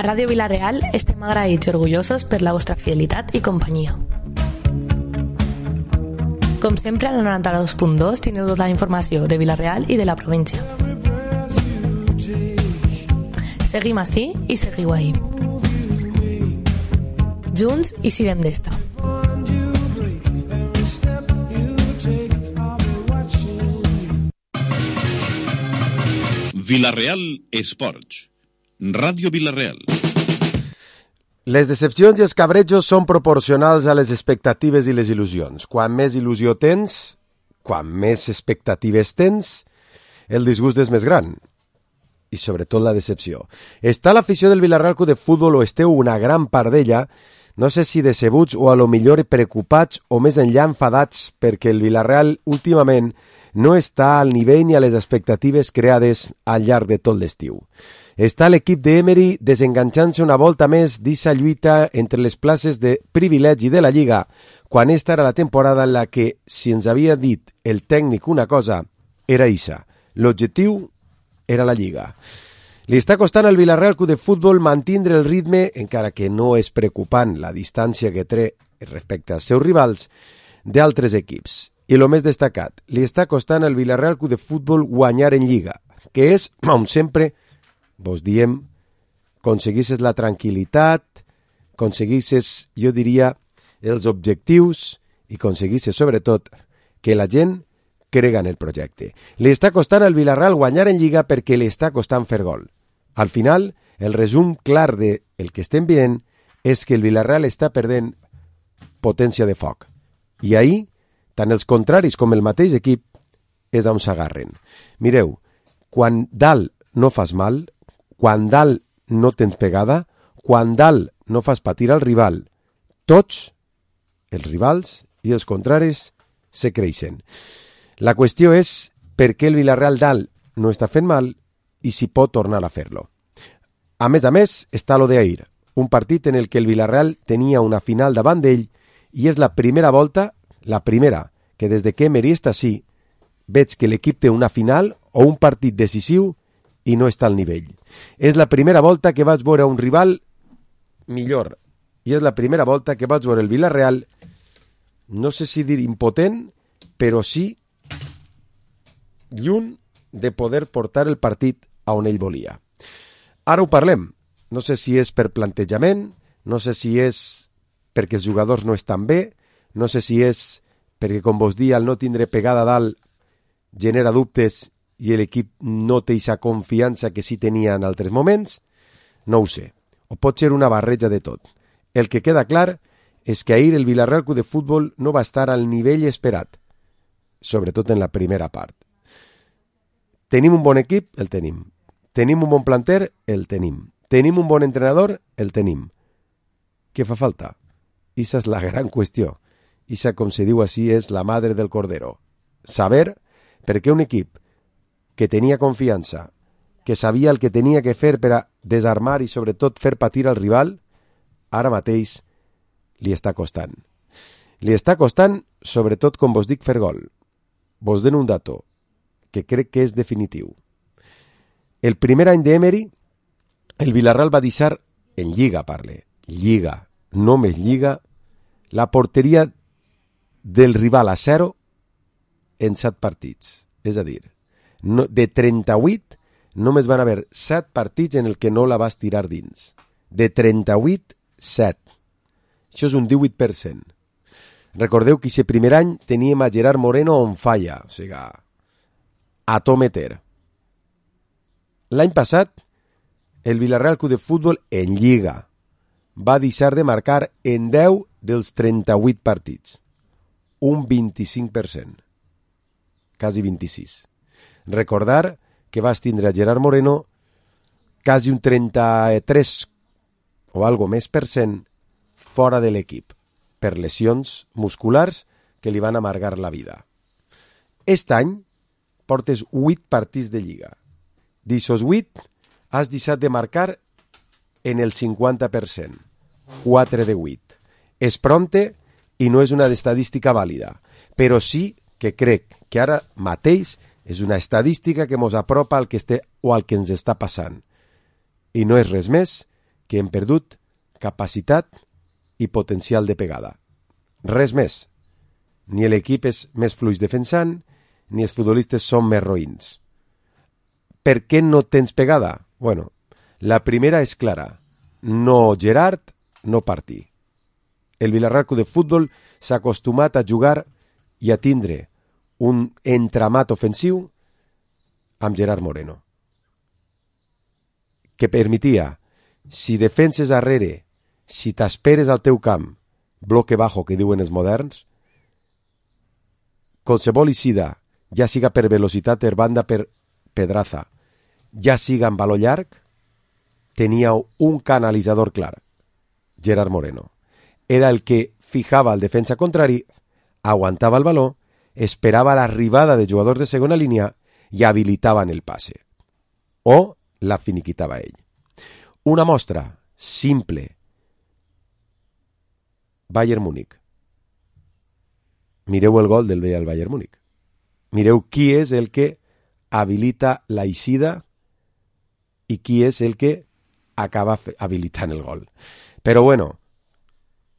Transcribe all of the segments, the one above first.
Ràdio Vila-real estem agraïts i orgullosos per la vostra fidelitat i companyia. Com sempre, a la 92.2 tindreu tota la informació de Vila-real i de la província. Seguim ací i seguiu ahí. Junts i sirem d'esta. Vila-real Esports. Ràdio Vila-real. Les decepcions i els cabrejos són proporcionals a les expectatives i les il·lusions. Quan més il·lusió tens, quan més expectatives tens, el disgust és més gran. I sobretot la decepció. Està l'afició del Vila-real Club de Futbol, o esteu una gran part d'ella, no sé si decebuts o a lo millor preocupats o més enllà enfadats perquè el Vila-real últimament no està al nivell ni a les expectatives creades al llarg de tot l'estiu. Està l'equip d'Emery desenganxant-se una volta més d'issa lluita entre les places de privilegi de la Lliga, quan esta era la temporada en la que, si ens havia dit el tècnic una cosa, era issa. L'objectiu era la Lliga. Li està costant al Vila-real Club de Futbol mantindre el ritme, encara que no és preocupant la distància que té respecte als seus rivals, d'altres equips. I el més destacat, li està costant al Vila-real Club de Futbol guanyar en Lliga, que és, com sempre, vos diem, aconseguisses la tranquil·litat, aconseguisses, jo diria, els objectius i aconseguisses, sobretot, que la gent crega en el projecte. Li està costant al Vila-real guanyar en Lliga perquè li està costant fer gol. Al final, el resum clar del que estem veient és que el Vila-real està perdent potència de foc. I ahir, tant els contraris com el mateix equip és on s'agarren. Mireu, quan dalt no fas mal, quan dalt no tens pegada, quan dalt no fas patir al rival, tots, els rivals i els contraris, se creixen. La qüestió és per què el Vila-real dalt no està fent mal i si pot tornar a fer-lo. A més, està lo d'ahir, un partit en el que el Vila-real tenia una final davant d'ell i és la primera volta, la primera, que des de que Emery està així, veig que l'equip té una final o un partit decisiu i no està al nivell. És la primera volta que vaig veure un rival millor i és la primera volta que vaig veure el Vila-real, no sé si dir impotent, però sí lluny de poder portar el partit a on ell volia. Ara ho parlem. No sé si és per plantejament, no sé si és perquè els jugadors no estan bé, no sé si és perquè, com vos dia, al no tindre pegada a dalt genera dubtes i l'equip no té aquesta confiança que sí tenia en altres moments, no ho sé. O pot ser una barreja de tot. El que queda clar és que ahir el Vila-real Club de Futbol no va estar al nivell esperat, sobretot en la primera part. Tenim un bon equip? El tenim. Tenim un bon planter? El tenim. Tenim un bon entrenador? El tenim. Què fa falta? Issa és la gran qüestió. Issa, com se diu així, és la madre del cordero. Saber per què un equip que tenia confiança, que sabia el que tenia que fer per a desarmar i sobretot fer patir al rival, ara mateix li està costant. Li està costant, sobretot, com vos dic, fer gol. Vos dono un dato que crec que és definitiu. El primer any d'Emery, el Vila-real va deixar, en Lliga parle, Lliga, només Lliga, la porteria del rival a 0 en 7 partits. És a dir, de 38 només van haver 7 partits en el que no la vas tirar dins. De 38, 7. Això és un 18%. Recordeu que aquest primer any teníem a Gerard Moreno on falla, o sigui, a to meter. L'any passat, el Vila-real Club de Futbol en Lliga va deixar de marcar en 10 dels 38 partits. Un 25%. Quasi 26%. Recordar que vas tindre a Gerard Moreno quasi un 33 o algo més % fora de l'equip per lesions musculars que li van amargar la vida. Aquest any portes 8 partits de Lliga. D'ixos 8 has deixat de marcar en el 50%. 4 de 8. És pronte i no és una estadística vàlida, però sí que crec que ara mateix és una estadística que mos apropa al que o al que ens està passant. I no és res més que hem perdut capacitat i potencial de pegada. Res més. Ni l'equip és més fluix defensant, ni els futbolistes són més roïns. Per què no tens pegada? Bueno, la primera és clara. No Gerard, no partir. El Villarreal Club de Futbol s'ha acostumat a jugar i a tindre un entramat ofensiu amb Gerard Moreno, que permetia, si defenses darrere, si t'esperes al teu camp, bloque bajo, que diuen els moderns, qualsevol eixida, ja siga per velocitat per banda per Pedraza, ja siga en valor llarg, tenia un canalitzador clar, Gerard Moreno. Era el que fijava el defensa contrari, aguantava el baló, esperava l'arribada de jugadors de segona línia i habilitaven el passe. O la finiquitava ell. Una mostra simple. Bayern Múnich. Mireu el gol del Bayern Múnich. Mireu qui és el que habilita l'eixida i qui és el que acaba habilitant el gol. Però bueno,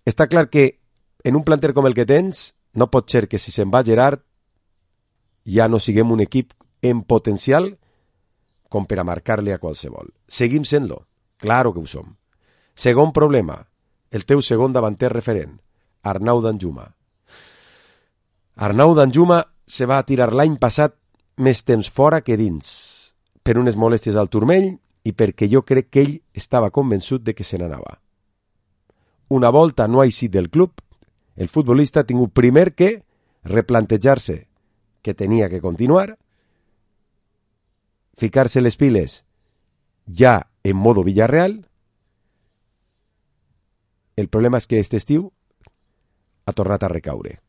està clar que en un planter com el que tens, no pot ser que si se'n va Gerard ja no siguem un equip en potencial com per a marcar-li a qualsevol. Seguim sent-lo, claro que ho som. Segon problema, el teu segon davanter referent, Arnau Danjuma. Arnau Danjuma se va tirar l'any passat més temps fora que dins, per unes molèsties al turmell i perquè jo crec que ell estava convençut de que se n'anava. Una volta no ha eixit del club, el futbolista ha tingut primer que replantejar-se que tenia que continuar, ficar-se les piles ja en modo Villarreal. El problema és que aquest estiu ha tornat a recaure.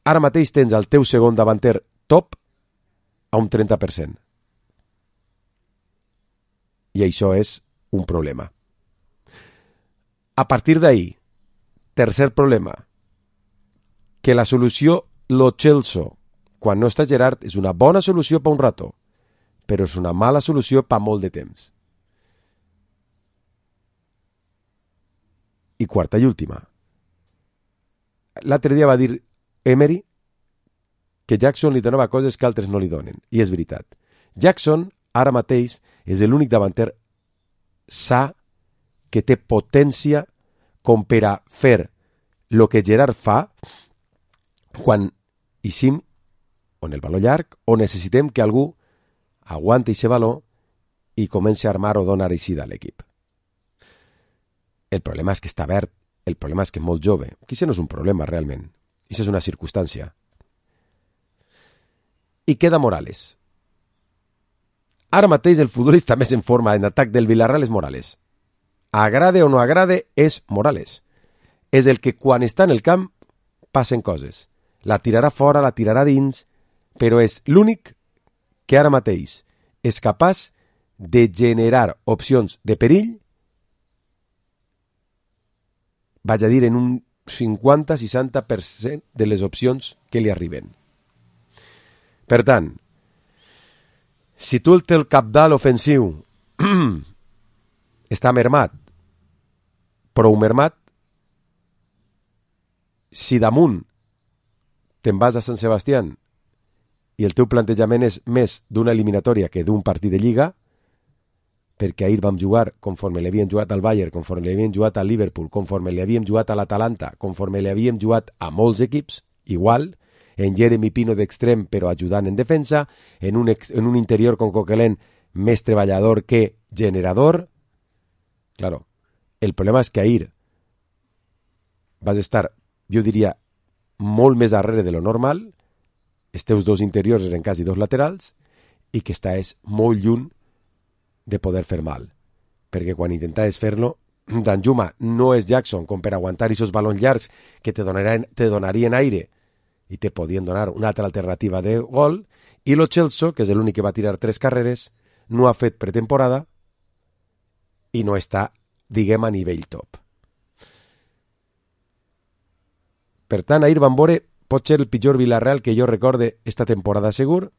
Ara mateix tens el teu segon davanter top a un 30%. I això és un problema. A partir d'ahí, tercer problema, que la solució Lo Celso, quan no està Gerard, és una bona solució per un rato, però és una mala solució per molt de temps. I quarta i última. L'altre dia va dir Emery que Jackson li donava coses que altres no li donen, i és veritat. Jackson, ara mateix, és l'únic davanter sa que té potència com per a fer el que Gerard fa quan eixim on el valor llarg o necessitem que algú aguanti aquest valor i comenci a armar o donar eixida a l'equip. El problema és que està verd, el problema és que és molt jove. Això no és un problema realment, això és una circumstància. I queda Morales. Ara mateix el futbolista més en forma en atac del Villarreal és Morales. Agrade o no agrade, és Morales. És el que quan està en el camp passen coses. La tirarà fora, la tirarà dins, però és l'únic que ara mateix és capaç de generar opcions de perill, vaig a dir en un 50-60% de les opcions que li arriben. Per tant, si tu el teu cabdal ofensiu està mermat, prou mermat, si damunt te'n vas a Sant Sebastián i el teu plantejament és més d'una eliminatòria que d'un partit de Lliga, perquè ahir vam jugar conforme l'havíem jugat al Bayern, conforme l'havíem jugat al Liverpool, conforme l'havíem jugat a l'Atalanta, conforme l'havíem jugat a molts equips, igual, en Jeremy Pino d'extrem però ajudant en defensa, en un interior con Coquelin més treballador que generador. Claro, el problema és que ahir vas estar, jo diria, molt més darrere de lo normal, els teus dos interiors eren quasi dos laterals, i que estàs molt lluny de poder fer mal. Perquè quan intentaves fer-lo, Danjuma no és Jackson com per aguantar aquests balons llargs que te donarien aire i te podien donar una altra alternativa de gol, i Lo Celso, que és l'únic que va tirar 3 carreres, no ha fet pretemporada i no està, diguem, a nivell top. Per tant, ahir vam veure pot ser el pitjor Villarreal que jo recorde esta temporada segur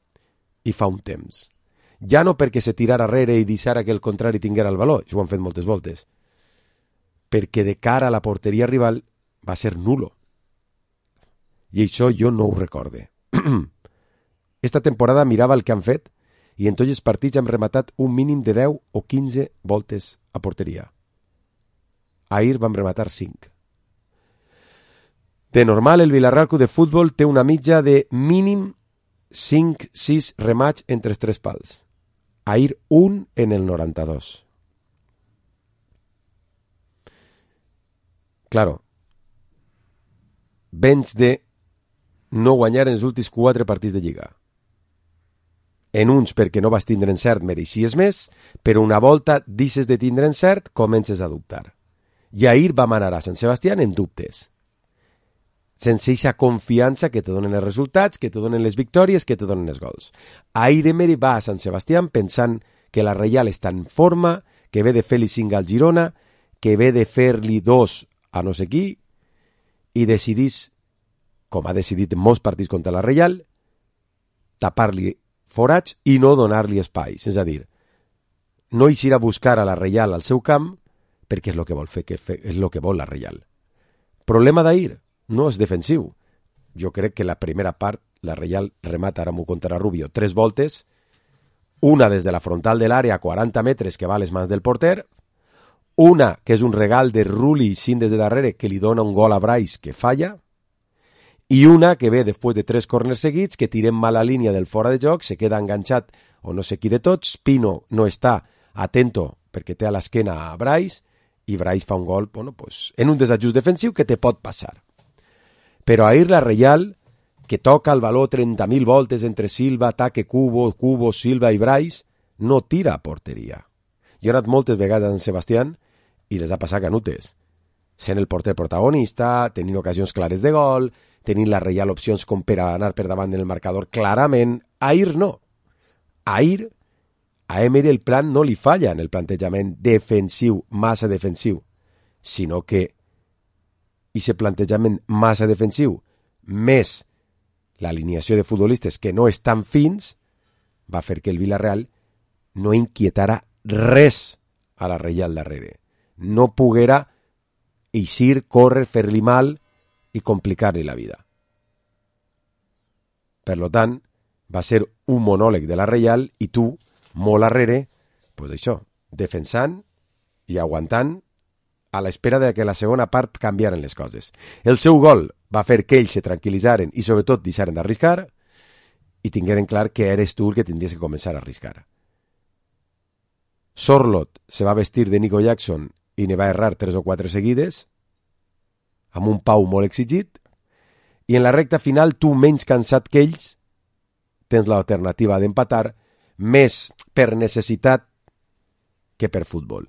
i fa un temps. Ja no perquè se tirara arrere i deixara que el contrari tinguera el valor, això ho han fet moltes voltes, perquè de cara a la porteria rival va ser nulo. I això jo no ho recorde. Esta temporada mirava el que han fet i en tots els partits hem rematat un mínim de 10 o 15 voltes a porteria. Ahir vam rematar 5. De normal, el Villarreal Club de Futbol té una mitja de mínim 5-6 remats entre els 3 pals. Ahir un en el 92. Claro, vens de no guanyar en els últims 4 partits de Lliga. En uns perquè no vas tindre encert mereixies més, però una volta deixes de tindre encert, comences a dubtar. I ahir vam anar a Sant Sebastià en dubtes. Sense aquesta confiança que te donen els resultats, que te donen les victòries, que te donen els gols. Ahir Emery va a Sant Sebastià pensant que la Reial està en forma, que ve de fer-li 5 al Girona, que ve de fer-li 2 a no sé qui, i decidís, com ha decidit en molts partits contra la Reial, tapar-li forats i no donar-li espais. És a dir, no eixir a buscar a la Reial al seu camp perquè és el que vol fer, és el que vol la Reial. Problema d'ahir no és defensiu. Jo crec que la primera part la Reial remata ara contra Rubio 3 voltes, una des de la frontal de l'àrea a 40 metres que va a les mans del porter, una que és un regal de Rulli sin des de darrere que li dona un gol a Brais que falla, i una que ve després de 3 corners seguits que tirem mal la línia del fora de joc, se queda enganxat o no sé qui de tots, Pino no està atento perquè té a l'esquena a Brais i Brais fa un gol en un desajust defensiu que te pot passar. Però ahir la Reial, que toca el valor 30.000 voltes entre Silva, ataque Cubo, Silva i Brais, no tira a porteria. Jo he anat moltes vegades a Sant Sebastián i les ha passat canutes. Sent el porter protagonista, tenint ocasions clares de gol, tenint la Reial opcions com per anar per davant en el marcador clarament. Ahir no. Ahir a Emery el plan no li falla en el plantejament defensiu, massa defensiu, sinó que aquest plantejament massa defensiu més l'alineació de futbolistes que no estan fins va fer que el Villarreal no inquietara res a la Reial darrere. No poguera eixir, córrer, fer-li mal i complicar-li la vida. Per lo tant, va ser un monòleg de la Reial i tu, molt arrere, això, defensant i aguantant a l'espera de que la segona part canviaren les coses. El seu gol va fer que ells se tranquil·litzaren i sobretot deixaren d'arriscar i tingueren clar que eres tu el que tindries que començar a arriscar. Sorlot se va vestir de Nico Jackson i ne va errar 3 o 4 seguides, amb un Pau molt exigit, i en la recta final tu, menys cansat que ells, tens l'alternativa d'empatar més per necessitat que per futbol.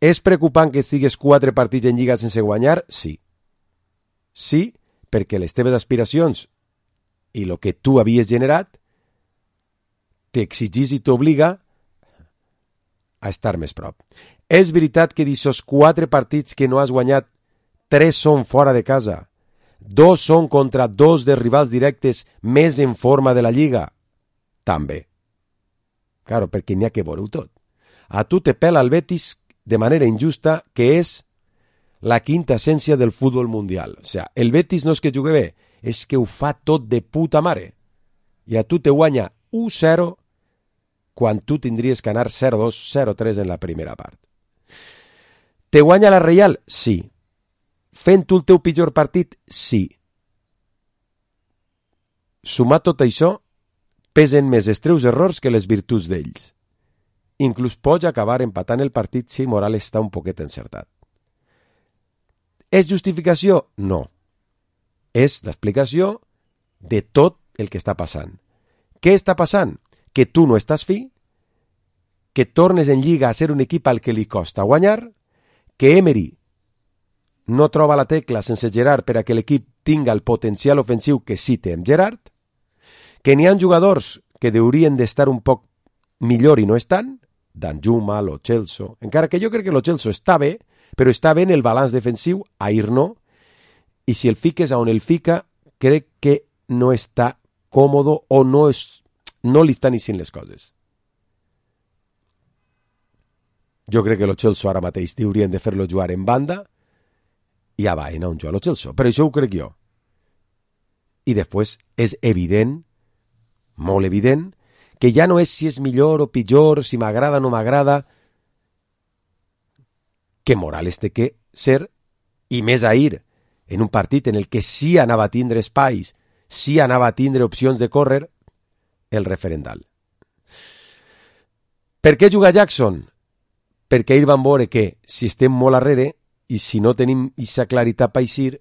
És preocupant que estigues 4 partits en Lliga sense guanyar? Sí. Sí, perquè les teves aspiracions i el que tu havies generat t'exigís i t'obliga a estar més prop. És veritat que d'aquests 4 partits que no has guanyat, 3 són fora de casa, 2 són contra 2 de rivals directes més en forma de la Lliga? També. Claro, perquè n'hi ha que veure-ho tot. A tu te pela el Betis de manera injusta, que és la quinta essència del futbol mundial. O sigui, el Betis no és que jugui bé, és que ho fa tot de puta mare. I a tu te guanya 1-0 quan tu tindries que anar 0-2, 0-3 en la primera part. Te guanya la Reial? Sí. Fent tu el teu pitjor partit? Sí. Sumat tot això, pesen més els teus errors que les virtuts d'ells. Inclús pots acabar empatant el partit si Morales està un poquet encertat. És justificació? No. És l'explicació de tot el que està passant. Què està passant? Que tu no estàs fi, que tornes en Lliga a ser un equip al que li costa guanyar, que Emery no troba la tecla sense Gerard per a que l'equip tinga el potencial ofensiu que sí té amb Gerard, que n'hi ha jugadors que haurien d'estar un poc millor i no estan, Danjuma, Lo Celso, encara que jo crec que Lo Celso està bé, però està bé en el balanç defensiu, ahir no, i si el fiques on el fica, crec que no està còmodo o no és no li estan eixint les coses. Jo crec que el Chelsea ara mateix haurien de fer-lo jugar en banda i a Baena on juga el Chelsea, però això ho crec jo. I després és evident, molt evident, que ja no és si és millor o pitjor, si m'agrada o no m'agrada, que Morales té que ser, i més ahir, en un partit en el que sí anava a tindre espais, sí anava a tindre opcions de córrer, el referendal. Per què juga Jackson? Perquè ahir van veure que si estem molt arrere i si no tenim aquesta claritat per eixir,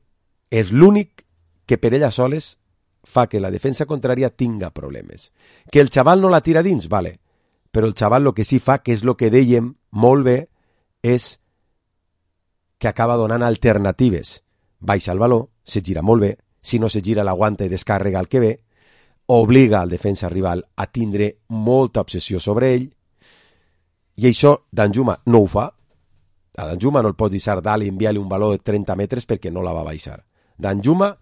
és l'únic que per ella soles fa que la defensa contrària tinga problemes. Que el xaval no la tira dins, vale, però el xaval el que sí fa, que és el que dèiem molt bé, és que acaba donant alternatives. Baixa el baló, se gira molt bé, si no se gira l'aguanta i descàrrega el que ve, obliga al defensa rival a tindre molta obsessió sobre ell, i això Danjuma no ho fa. A Danjuma no el pots deixar dalt i enviar-li un baló de 30 metres perquè no la va baixar. Danjuma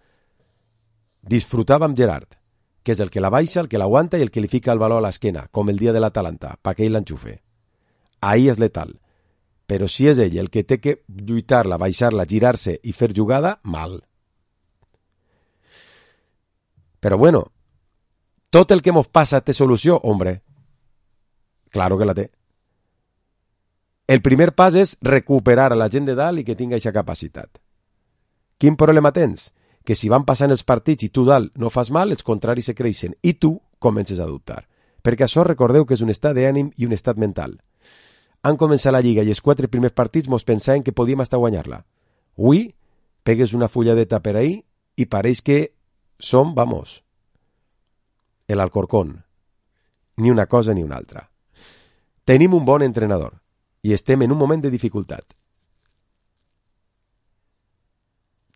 disfrutava amb Gerard, que és el que la baixa, el que l'aguanta i el que li fica el baló a l'esquena, com el dia de l'Atalanta, perquè ell l'enxufe. Ahí és letal. Però si és ell el que té que lluitar-la, baixar-la, girar-se i fer jugada, mal. Però bueno, tot el que mos passa té solució, hombre. Claro que la té. El primer pas és recuperar a la gent de dalt i que tinga aquesta capacitat. Quin problema tens? Que si van passant els partits i tu dalt no fas mal, els contraris se creixen i tu comences a dubtar. Perquè això recordeu que és un estat d'ànim i un estat mental. Han començat la Lliga i els 4 primers partits mos pensaven que podíem estar a guanyar-la. Avui pegues una fulladeta per ahí i pareix que som, vamos, el Alcorcón. Ni una cosa ni una altra. Tenim un bon entrenador i estem en un moment de dificultat.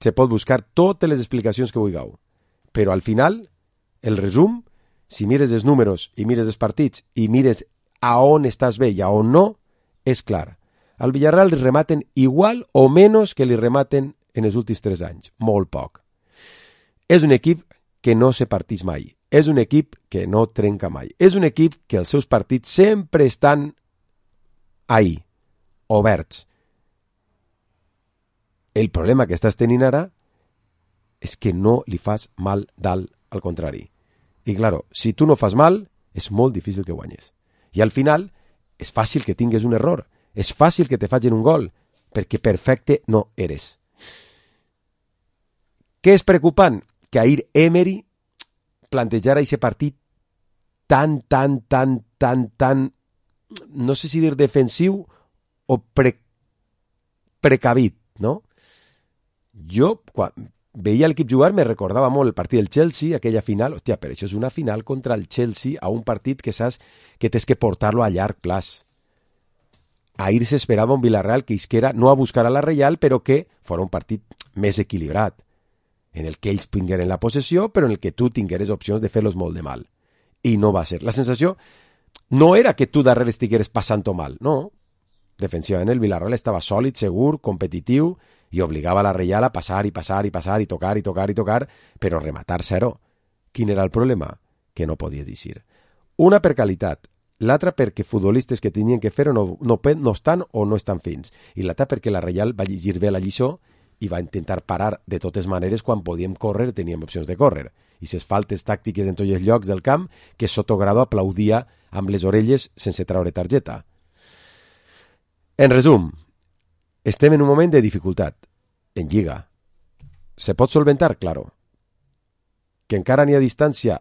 Se pot buscar totes les explicacions que vulgueu, però al final, el resum, si mires els números i mires els partits i mires a on estàs bé i a on no, és clar. Al Villarreal li rematen igual o menys que li rematen en els últims 3 anys. Molt poc. És un equip que no se partís mai. És un equip que no trenca mai. És un equip que els seus partits sempre estan ahí, oberts. El problema que estàs tenint ara és que no li fas mal dalt, al contrari. I claro, si tu no fas mal, és molt difícil que guanyes. I al final, és fàcil que tingues un error. És fàcil que te facin un gol, perquè perfecte no eres. Què és preocupant? Que ahir Emery plantejara aquest partit tan, no sé si dir defensiu o precavit, no? Jo, quan veia l'equip jugar, me recordava molt el partit del Chelsea, aquella final. Hòstia, però això és una final contra el Chelsea a un partit que saps que tens que portar-lo a llarg plaç. Ahir s'esperava un Villarreal que isquera no a buscar a la Reial, però que fos un partit més equilibrat, en el que ells tingueren la possessió, però en el que tu tingueres opcions de fer-los molt de mal. I no va ser. La sensació no era que tu darrere estigueres passant-ho mal, no. Defensivament el Villarreal estava sòlid, segur, competitiu, i obligava a la Reial a passar i tocar, però rematar zero. Quin era el problema? Que no podies dir. Una per qualitat, l'altra perquè futbolistes que tenien que fer-ho no estan o no estan fins, i l'altra perquè la Reial va llegir bé la lliçó i va intentar parar de totes maneres quan podíem córrer, teníem opcions de córrer. I ses faltes tàctiques en tots els llocs del camp que Sotogrado aplaudia amb les orelles sense traure targeta. En resum, estem en un moment de dificultat. En Lliga. Se pot solventar? Claro. Que encara n'hi ha distància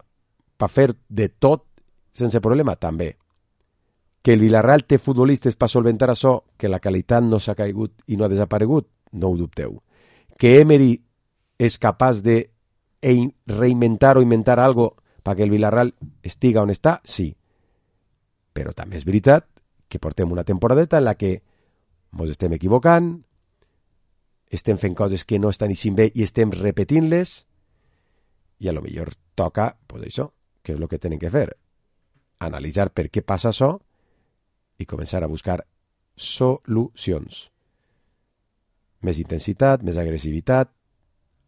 per fer de tot sense problema? També. Que el Villarreal té futbolistes per solventar això, que la qualitat no s'ha caigut i no ha desaparegut? No ho dubteu. Que Emery és capaç de reinventar o inventar algo perquè el Villarreal estiga on està? Sí. Però també és veritat que portem una temporadeta en la que ens estem equivocant, estem fent coses que no estan eixint bé i estem repetint-les, i a lo millor toca, pues això, que és el que tenen que fer, analitzar per què passa això i començar a buscar solucions. Més intensitat, més agressivitat,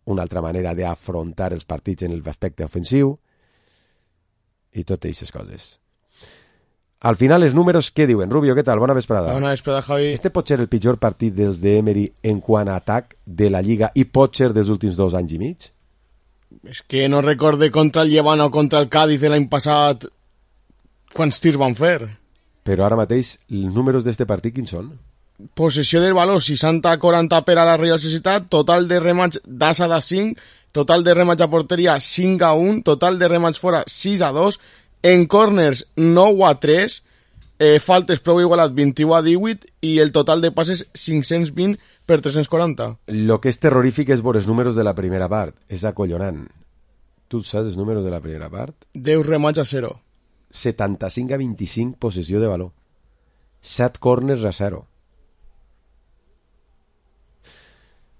una altra manera d'afrontar els partits en l'aspecte ofensiu, i totes aquestes coses. Al final, els números, què diuen? Rubio, què tal? Bona vesprada. Bona vesprada, Javi. Este pot ser el pitjor partit dels d'Emery en quant a atac de la Lliga i pot ser dels últims 2 anys i mig? És que no recorde contra el Llevant o contra el Cádiz l'any passat quants tirs van fer. Però ara mateix, els números d'este partit quins són? Possessió del valor 60-40 per a la Real Societat, total de remats d'asa de 5, total de remats a porteria 5-1, total de remats fora 6-2, en corners 9-3, faltes prou igualat 21-18 i el total de passes 520 per 340. Lo que és terrorífic és veure els números de la primera part. És acollonant. Tu saps els números de la primera part? 10 remats a 0. 75-25 possessió de valor. 7 corners a 0.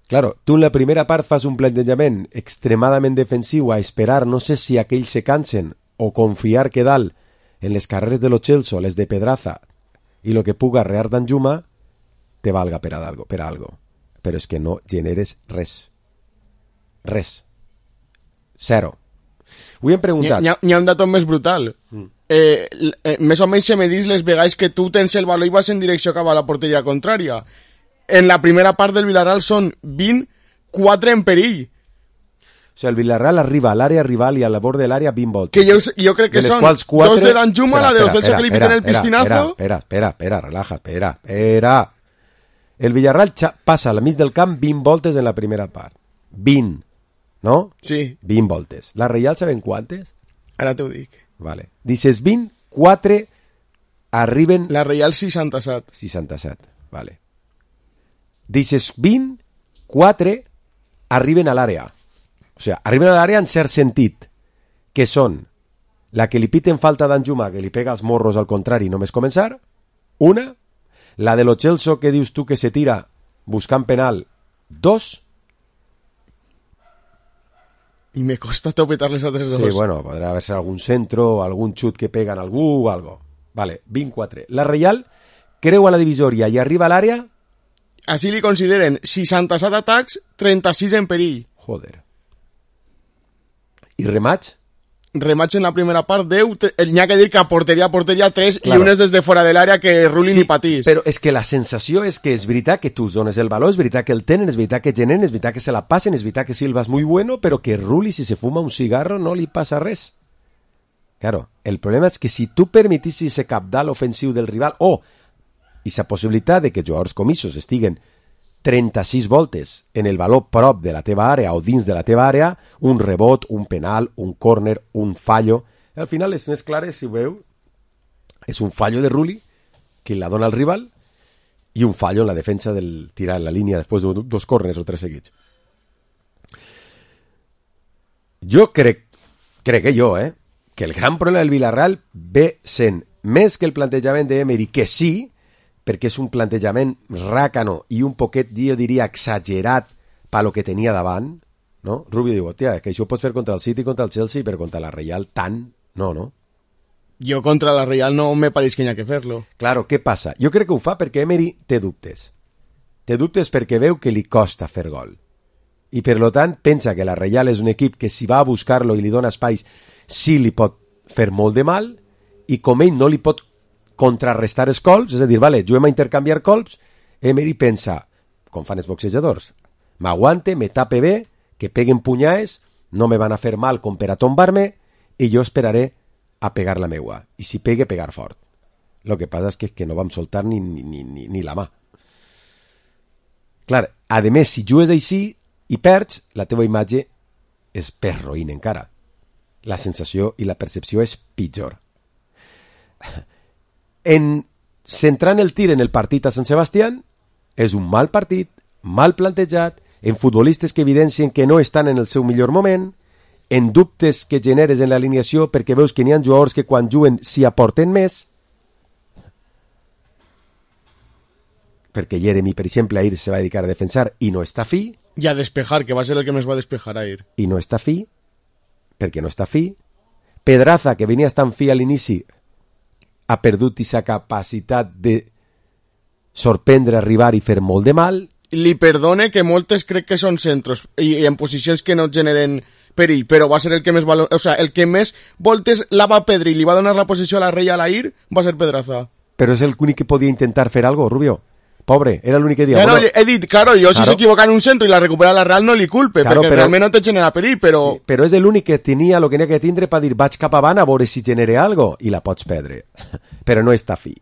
Claro, tu en la primera part fas un plantejament extremadament defensiu a esperar, no sé si aquells se cansen o confiar que dalt en les carreres de lo Chelsea, les de Pedraza i lo que puga arrear d'Anjuma te valga per a algo. Però és que no generes res. Res. Zero. Ho hem preguntat. N'hi ha un dato més brutal. Més o menys se me dis les vegades que tu tens el valor i vas en direcció cap a la porteria contrària. En la primera part del Villarreal són 24 en perill. O sigui, el Villarreal arriba a l'àrea rival i a la bord de l'àrea 20 voltes. Que jo crec que són 4... 2 de Danjuma, la de los Celso que li piquen el piscinazo. Espera, relaja, espera. El Villarreal passa a la mig del camp 20 voltes en la primera part. 20, no? Sí. 20 voltes. La Reial saben quantes? Ara t'ho dic. Vale. Dices 20, 4 arriben... La Reial 67. 67, vale. Dices 20, 4 arriben a l'àrea. O sigui, arriben a l'àrea en cert sentit, que són la que li piten falta d'Anjuma, que li pega els morros al contrari només començar, una, la de lo Chelsea que dius tu que se tira buscant penal, 2. I me costa topetar les altres 2. Sí, bueno, podrà haver-se algun centro, algun xut que pega en algú o algo. Vale, 24. La Reial creua la divisòria i arriba a l'àrea... Així li consideren 67 atacs, 36 en perill. Joder. I remats? Remats en la primera part 10, n'hi ha que dir que a porteria 3 claro. I un és des de fora de l'àrea que rulin sí, i patís. Però és que la sensació és que és veritat que tu dones el valor, és veritat que el tenen, és veritat que generen, és veritat que se la passen, és veritat que Silva és muy bueno, però que Rulli si se fuma un cigarro no li passa res. Claro, el problema és que si tu permetissis ese cabdal ofensiu del rival o i la possibilitat de que jugadors comissos estiguen 36 voltes en el valor prop de la teva àrea o dins de la teva àrea, un rebot, un penal, un córner, un fallo. Al final és més clar, si ho veu, és un fallo de Rulli que la dona al rival i un fallo en la defensa del tirar en la línia després de 2 córners o 3 seguits. Jo crec que el gran problema del Villarreal ve sent més que el plantejament d'Emery, que sí, perquè és un plantejament ràcano i un poquet, jo diria, exagerat per lo que tenia davant, no? Rubio diu, hòstia, que això ho pots fer contra el City, contra el Chelsea, però contra la Real tant, no? Jo contra la Real no me pareix que hi ha que fer-lo. Claro, què passa? Jo crec que ho fa perquè Emery té dubtes. Té dubtes perquè veu que li costa fer gol. I per lo tant pensa que la Real és un equip que si va a buscar-lo i li dona espais sí li pot fer molt de mal i com ell no li pot contrarrestar els colps, és a dir, vale, juguem a intercanviar colps, Emery pensa, com fan els boxejadors, m'aguante, me tape bé, que peguen punyades, no me van a fer mal com per a tombar-me, i jo esperaré a pegar la meua. I si pegue, pegar fort. Lo que passa és que no vam soltar ni la mà. Clar, a més, si jugues així i perds, la teva imatge és perroïna encara. La sensació i la percepció és pitjor. Centrant el tir en el partit a Sant Sebastián, és un mal partit, mal plantejat, en futbolistes que evidencien que no estan en el seu millor moment, en dubtes que generes en l'alineació perquè veus que n'hi ha jugadors que quan juguen s'hi aporten més, perquè Jeremy, per exemple, ahir se va dedicar a defensar i no està fi. I a despejar, que va ser el que més va despejar ahir. I no està fi, perquè no està fi. Pedraza, que venia estant fi a l'inici, ha perdut aquesta capacitat de sorprendre, arribar i fer molt de mal. Li perdone que moltes crec que són centros i en posicions que no generen perill, però va ser el que més el que més voltes la va perdre i li va donar la posició a la Reia Alair va ser Pedraza. Però és l'únic que podia intentar fer algo, Rubio. Pobre, era l'únic que dia. No, he dit, claro, jo si s'equivoca en un centro i la recupera la Real no li culpe, claro, perquè realment no te genera perill, però... Sí, però és l'únic que tenia el que n'hi ha que tindre per dir vaig cap avant a veure si genere algo i la pots perdre. Però no està fi.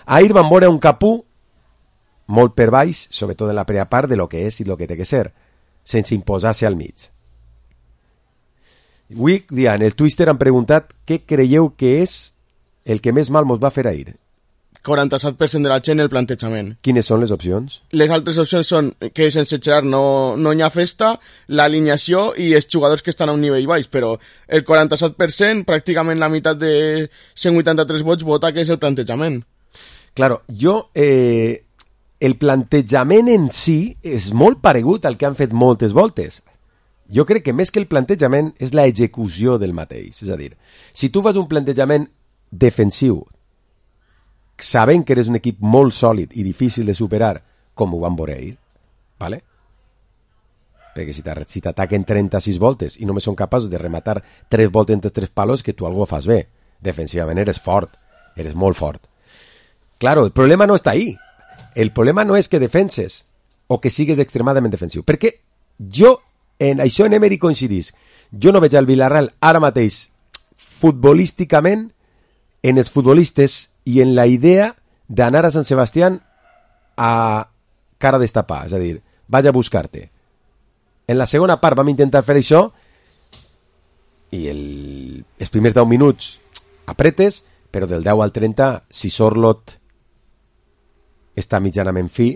Ahir van veure un Capú molt per baix, sobretot en la primera part, de lo que és i lo que té que ser, sense imposar-se al mig. Avui, Dian, el Twister han preguntat què creieu que és el que més mal mos va fer ahir. 47% de la gent el plantejament. Quines són les opcions? Les altres opcions són que sense Gerard no hi ha festa, l'alineació i els jugadors que estan a un nivell baix, però el 47%, pràcticament la meitat de 183 vots, vota que és el plantejament. Claro, el plantejament en si és molt paregut al que han fet moltes voltes. Jo crec que més que el plantejament és la execució del mateix. És a dir, si tu fas un plantejament defensiu sabent que eres un equip molt sòlid i difícil de superar, com ho van veure ahir, ¿vale? Perquè si t'ataquen 36 voltes i només són capaços de rematar 3 voltes entre 3 palos, que tu algo fas bé. Defensivament eres fort, eres molt fort. Claro, el problema no està ahí. El problema no és que defenses o que sigues extremadament defensiu. Perquè jo, en això en Emery coincidís. Jo no veig al Villarreal ara mateix futbolísticament en els futbolistes i en la idea d'anar a Sant Sebastián a cara destapar, és a dir, vaig a buscar-te. En la segona part vam intentar fer això i els primers 10 minuts apretes, però del 10 al 30, si Sorlot està mitjanament fi,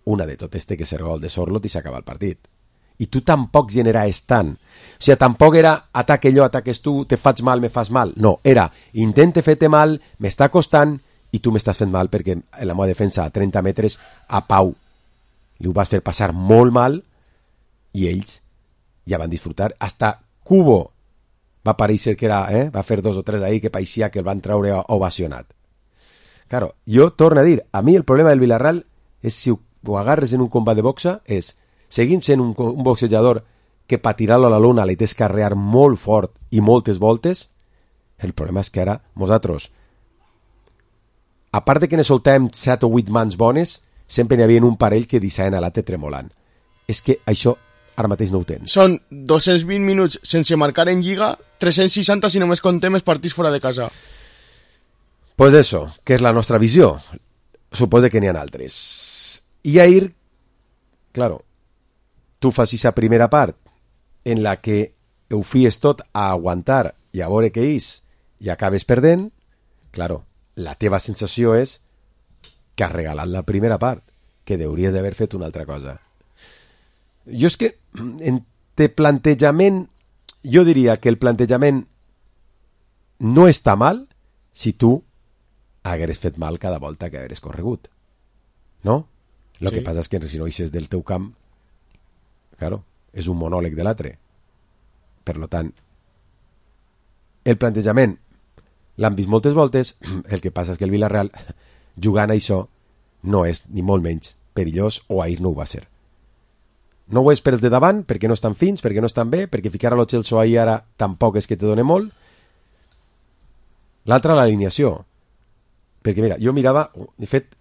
una de totes té que ser gol de Sorlot i s'acaba el partit. I tu tampoc generaves tant. O sigui, tampoc era ataque jo, ataques tu, te faig mal, me fas mal. No, era intente fer-te mal, m'està costant i tu m'estàs fent mal perquè en la meva defensa a 30 metres a Pau li ho vas fer passar molt mal i ells ja van disfrutar. Hasta Cubo va pareixer que era, va fer 2 o 3 ahí que pareixia que el van treure ovacionat. Claro, jo torno a dir, a mi el problema del Villarreal és si ho agarres en un combat de boxa és seguim sent un boxejador que per tirar-lo a la lona li tens que arrear molt fort i moltes voltes. El problema és que ara nosaltres, a part de que ne soltàvem 7 o 8 mans bones, sempre n'hi havia un parell que deixaven a l'altre tremolant. És que això ara mateix no ho tens. Són 220 minuts sense marcar en Lliga, 360 si només contem els partits fora de casa. Pues eso, que és la nostra visió. Suposo que n'hi ha altres. I ahir, claro, tu fas aquesta primera part en la que ho fies tot a aguantar i a veure què és i acabes perdent, claro, la teva sensació és que has regalat la primera part, que hauries d'haver fet una altra cosa. Jo és que en plantejament, jo diria que el plantejament no està mal si tu hagueres fet mal cada volta que hagueres corregut. No? El que passa és que si no eixes del teu camp, claro, és un monòleg de l'altre. Per tant, el plantejament l'han vist moltes voltes, el que passa és que el Villarreal, jugant a això, no és ni molt menys perillós, o ahir no ho va ser. No ho és per els de davant, perquè no estan fins, perquè no estan bé, perquè ficar a lo Chelsea ahir ara tampoc és que te doni molt. L'altra, l'alineació. Perquè mira, jo mirava, de fet,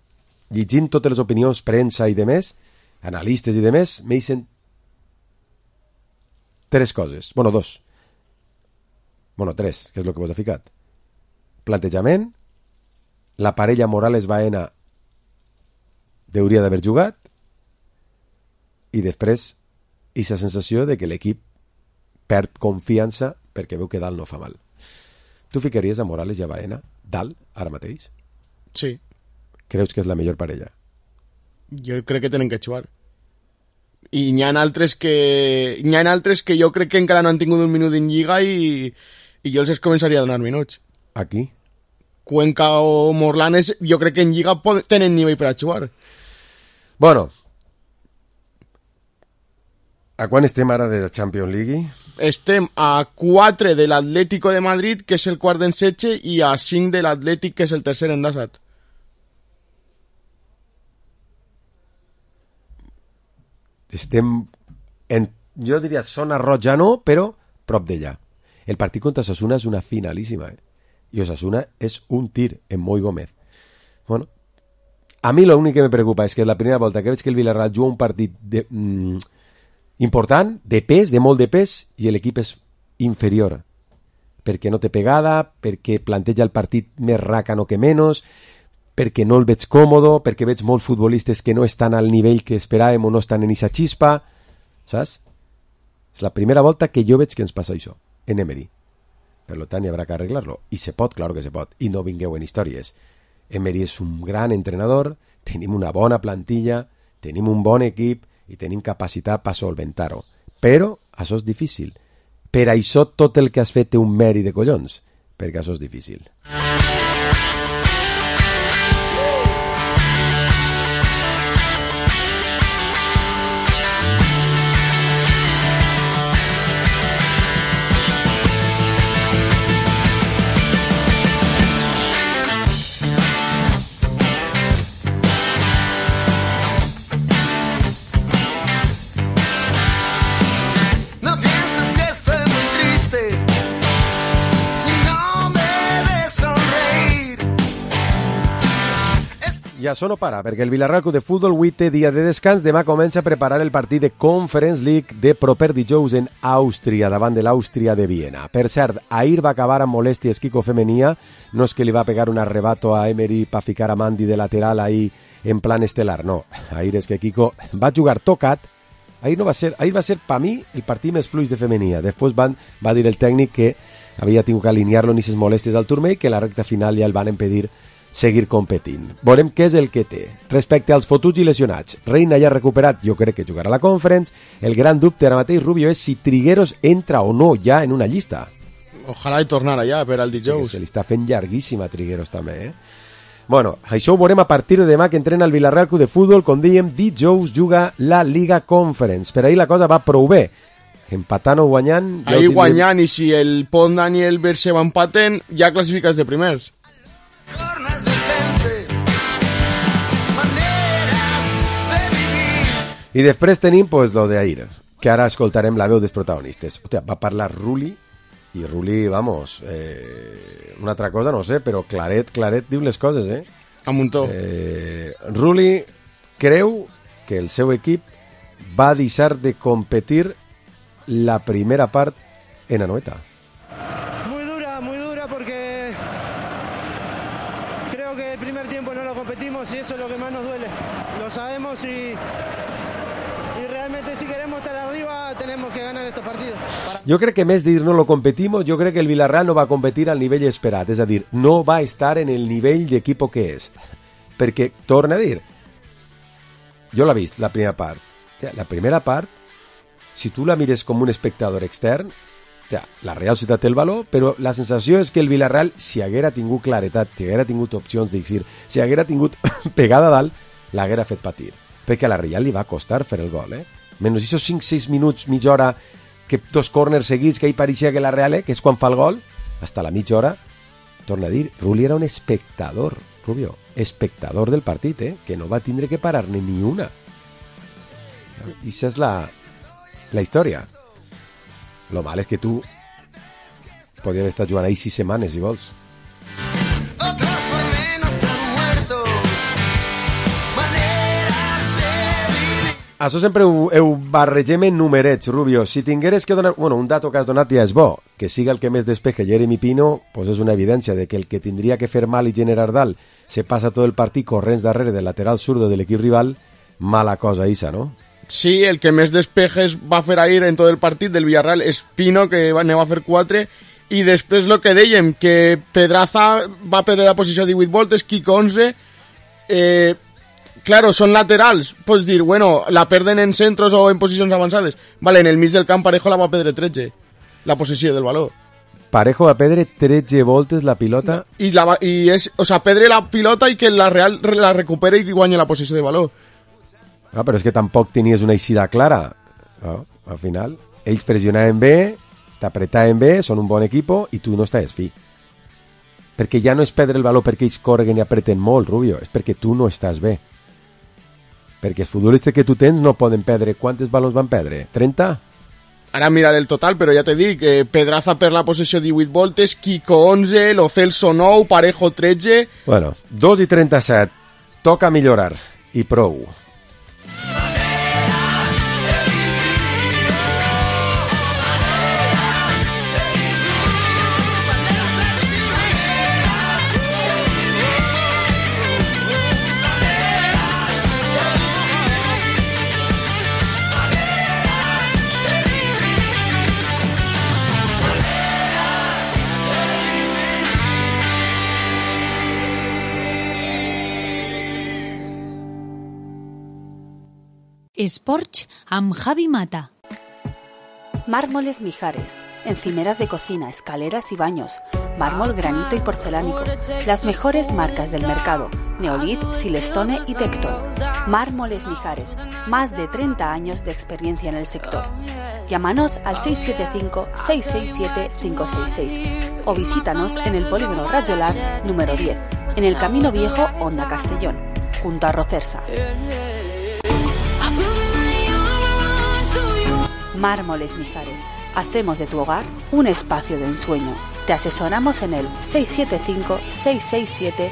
llegint totes les opinions, premsa i demés, analistes i demés, m'eixen 3 coses. Bueno, 2. Bueno, 3, que és el que vos ha ficat. Plantejament, la parella Morales-Baena hauria d'haver jugat i després aquesta sensació de que l'equip perd confiança perquè veu que dalt no fa mal. Tu ficaries a Morales i a Baena dalt ara mateix? Sí. Creus que és la millor parella? Jo crec que tenen que jugar. I n'hi ha altres que jo crec que encara no han tingut un minut en Lliga i jo els començaria a donar minuts. Aquí? Cuenca o Morlanes, jo crec que en Lliga tenen nivell per a jugar. Bueno, a quan estem ara de la Champions League? Estem a 4 de l'Atlético de Madrid, que és el quart d'en setge, i a 5 de l'Atlètic, que és el tercer endasat. Estem jo diria zona roja no, però prop d'ella. El partit contra Osasuna és una finalíssima, i Osasuna és un tir en Moi Gómez. Bueno, a mi l'únic que me preocupa és que la primera volta que veig que el Villarreal juga un partit important, de pes, de molt de pes, i l'equip és inferior, perquè no té pegada, perquè planteja el partit més ràcano que menys, perquè no el veig còmodo, perquè veig molts futbolistes que no estan al nivell que esperàvem o no estan en aquesta xispa, saps? És la primera volta que jo veig que ens passa això, en Emery. Per tant, hi haurà que arreglar-lo. I se pot, claro que se pot. I no vingueu en històries. Emery és un gran entrenador, tenim una bona plantilla, tenim un bon equip i tenim capacitat per solventar-ho. Però això és difícil. Per això tot el que has fet té un mèrit de collons, perquè això és difícil. I això no para, perquè el Villarreal Club de Futbol avui té dia de descans. Demà comença a preparar el partit de Conference League de proper dijous en Àustria, davant de l'Àustria de Viena. Per cert, ahir va acabar amb molèsties Quico Femenia. No és que li va pegar un arrebato a Emery per ficar a Mandi de lateral ahir en plan estelar, no. Ahir és que Quico va jugar tocat. Ahir va ser per mi el partit més fluix de Femenia. Després va dir el tècnic que havia tingut que alinear-lo en aquestes molèsties al turmell, que la recta final ja el van impedir seguir competint. Veurem què és el que té. Respecte als fotuts i lesionats, Reina ja ha recuperat, jo crec que jugarà a la Conference. El gran dubte ara mateix, Rubio, és si Trigueros entra o no ja en una llista. Ojalà hi tornara ja per al dijous. Se li està fent llarguíssima a Trigueros també, Bueno, això ho veurem a partir de demà que entrena el Villarreal Club de Futbol. Com dèiem, dijous juga la Liga Conference. Per ahir la cosa va prou bé. Empatant o guanyant... Ahir guanyant, i si el Pont Dani i el Berseba empaten, ja classifiques de primers. I després tenim pues, lo de ahir, que ara escoltarem la veu dels protagonistes. Hòstia, va parlar Rulli, i Rulli, vamos, una altra cosa no sé, però claret diu les coses, A muntó. Rulli creu que el seu equip va deixar de competir la primera part en Anoeta. Muy dura porque creo que el primer tiempo no lo competimos y eso es lo que más nos duele. Lo sabemos y realmente si queremos estar arriba tenemos que ganar estos partidos. Jo crec que més dir no lo competimos, jo crec que el Villarreal no va competir al nivell esperat, és a dir, no va estar en el nivell d'equip que és. Perquè, torna a dir, jo l'he vist, la primera part. La primera part, si tu la mires com un espectador extern, la Real Societat té el valor, però la sensació és que el Villarreal, si haguera tingut claretat, si haguera tingut opcions d'exir, si haguera tingut pegada dalt, l'haguera fet patir. Perquè a la Real li va costar fer el gol, Menys aquests 5-6 minuts, mitja hora, que dos corners seguits, que hi pareixia que la Real, que és quan fa el gol, hasta la mitja hora, torna a dir, Rulli era un espectador, Rubio, espectador del partit, que no va tindre que parar-ne ni una. I això és la història. Lo mal és que tu podries estar jugant ahí 6 setmanes, si vols. Això sempre ho barregem en numerets, Rubio. Si tingueres que donar... Bueno, un dato que has donat ja és bo. Que siga el que més despeje Jeremy Pino, pues és una evidència de que el que tindria que fer mal i generar dalt se passa tot el partit corrents darrere del lateral zurdo de l'equip rival. Mala cosa, Isa, no? Sí, el que més despejes va fer ahir en tot el partit del Villarreal és Pino, que ne va fer 4, i després el que dèiem, que Pedraza va perdre la posició 18 voltes, Quico 11, claro, son laterals, pots dir, bueno, la perden en centros o en posicions avançades, vale, en el mig del camp Parejo la va perdre 13, la possessió del valor. Parejo va perdre 13 voltes la pilota. I és, o sea, perdre la pilota i que la Real la recupere i guanya la possessió de valor. Ah, però és que tampoc tenies una eixida clara. No? Al final, ells pressionaven bé, t'apretaven bé, són un bon equip i tu no estàs fi. Perquè ja no és perdre el valor perquè ells correguen i apreten molt, Rubio, és perquè tu no estàs bé. Perquè els futbolistes que tu tens no poden perdre. Quantes balons van perdre? 30? Ara miraré el total, però ja t'he dit que Pedraza per la possessió 18 voltes, Kiko 11, Lo Celso 9, Parejo 13... Bueno, 2:37. Toca millorar. I prou. Esporch amb Javi Mata. Mármoles Mijares, encimeras de cocina, escaleras y baños, mármol, granito y porcelánico, las mejores marcas del mercado, Neolith, Silestone y Tecton. Mármoles Mijares, más de 30 años de experiencia en el sector. Llámanos al 675-667-566 o visítanos en el Polígono Rayolar número 10, en el Camino Viejo, Honda Castellón, junto a Rocersa. Mármoles Mijares. Hacemos de tu hogar un espacio de ensueño. Te asesoramos en el 675-667-566.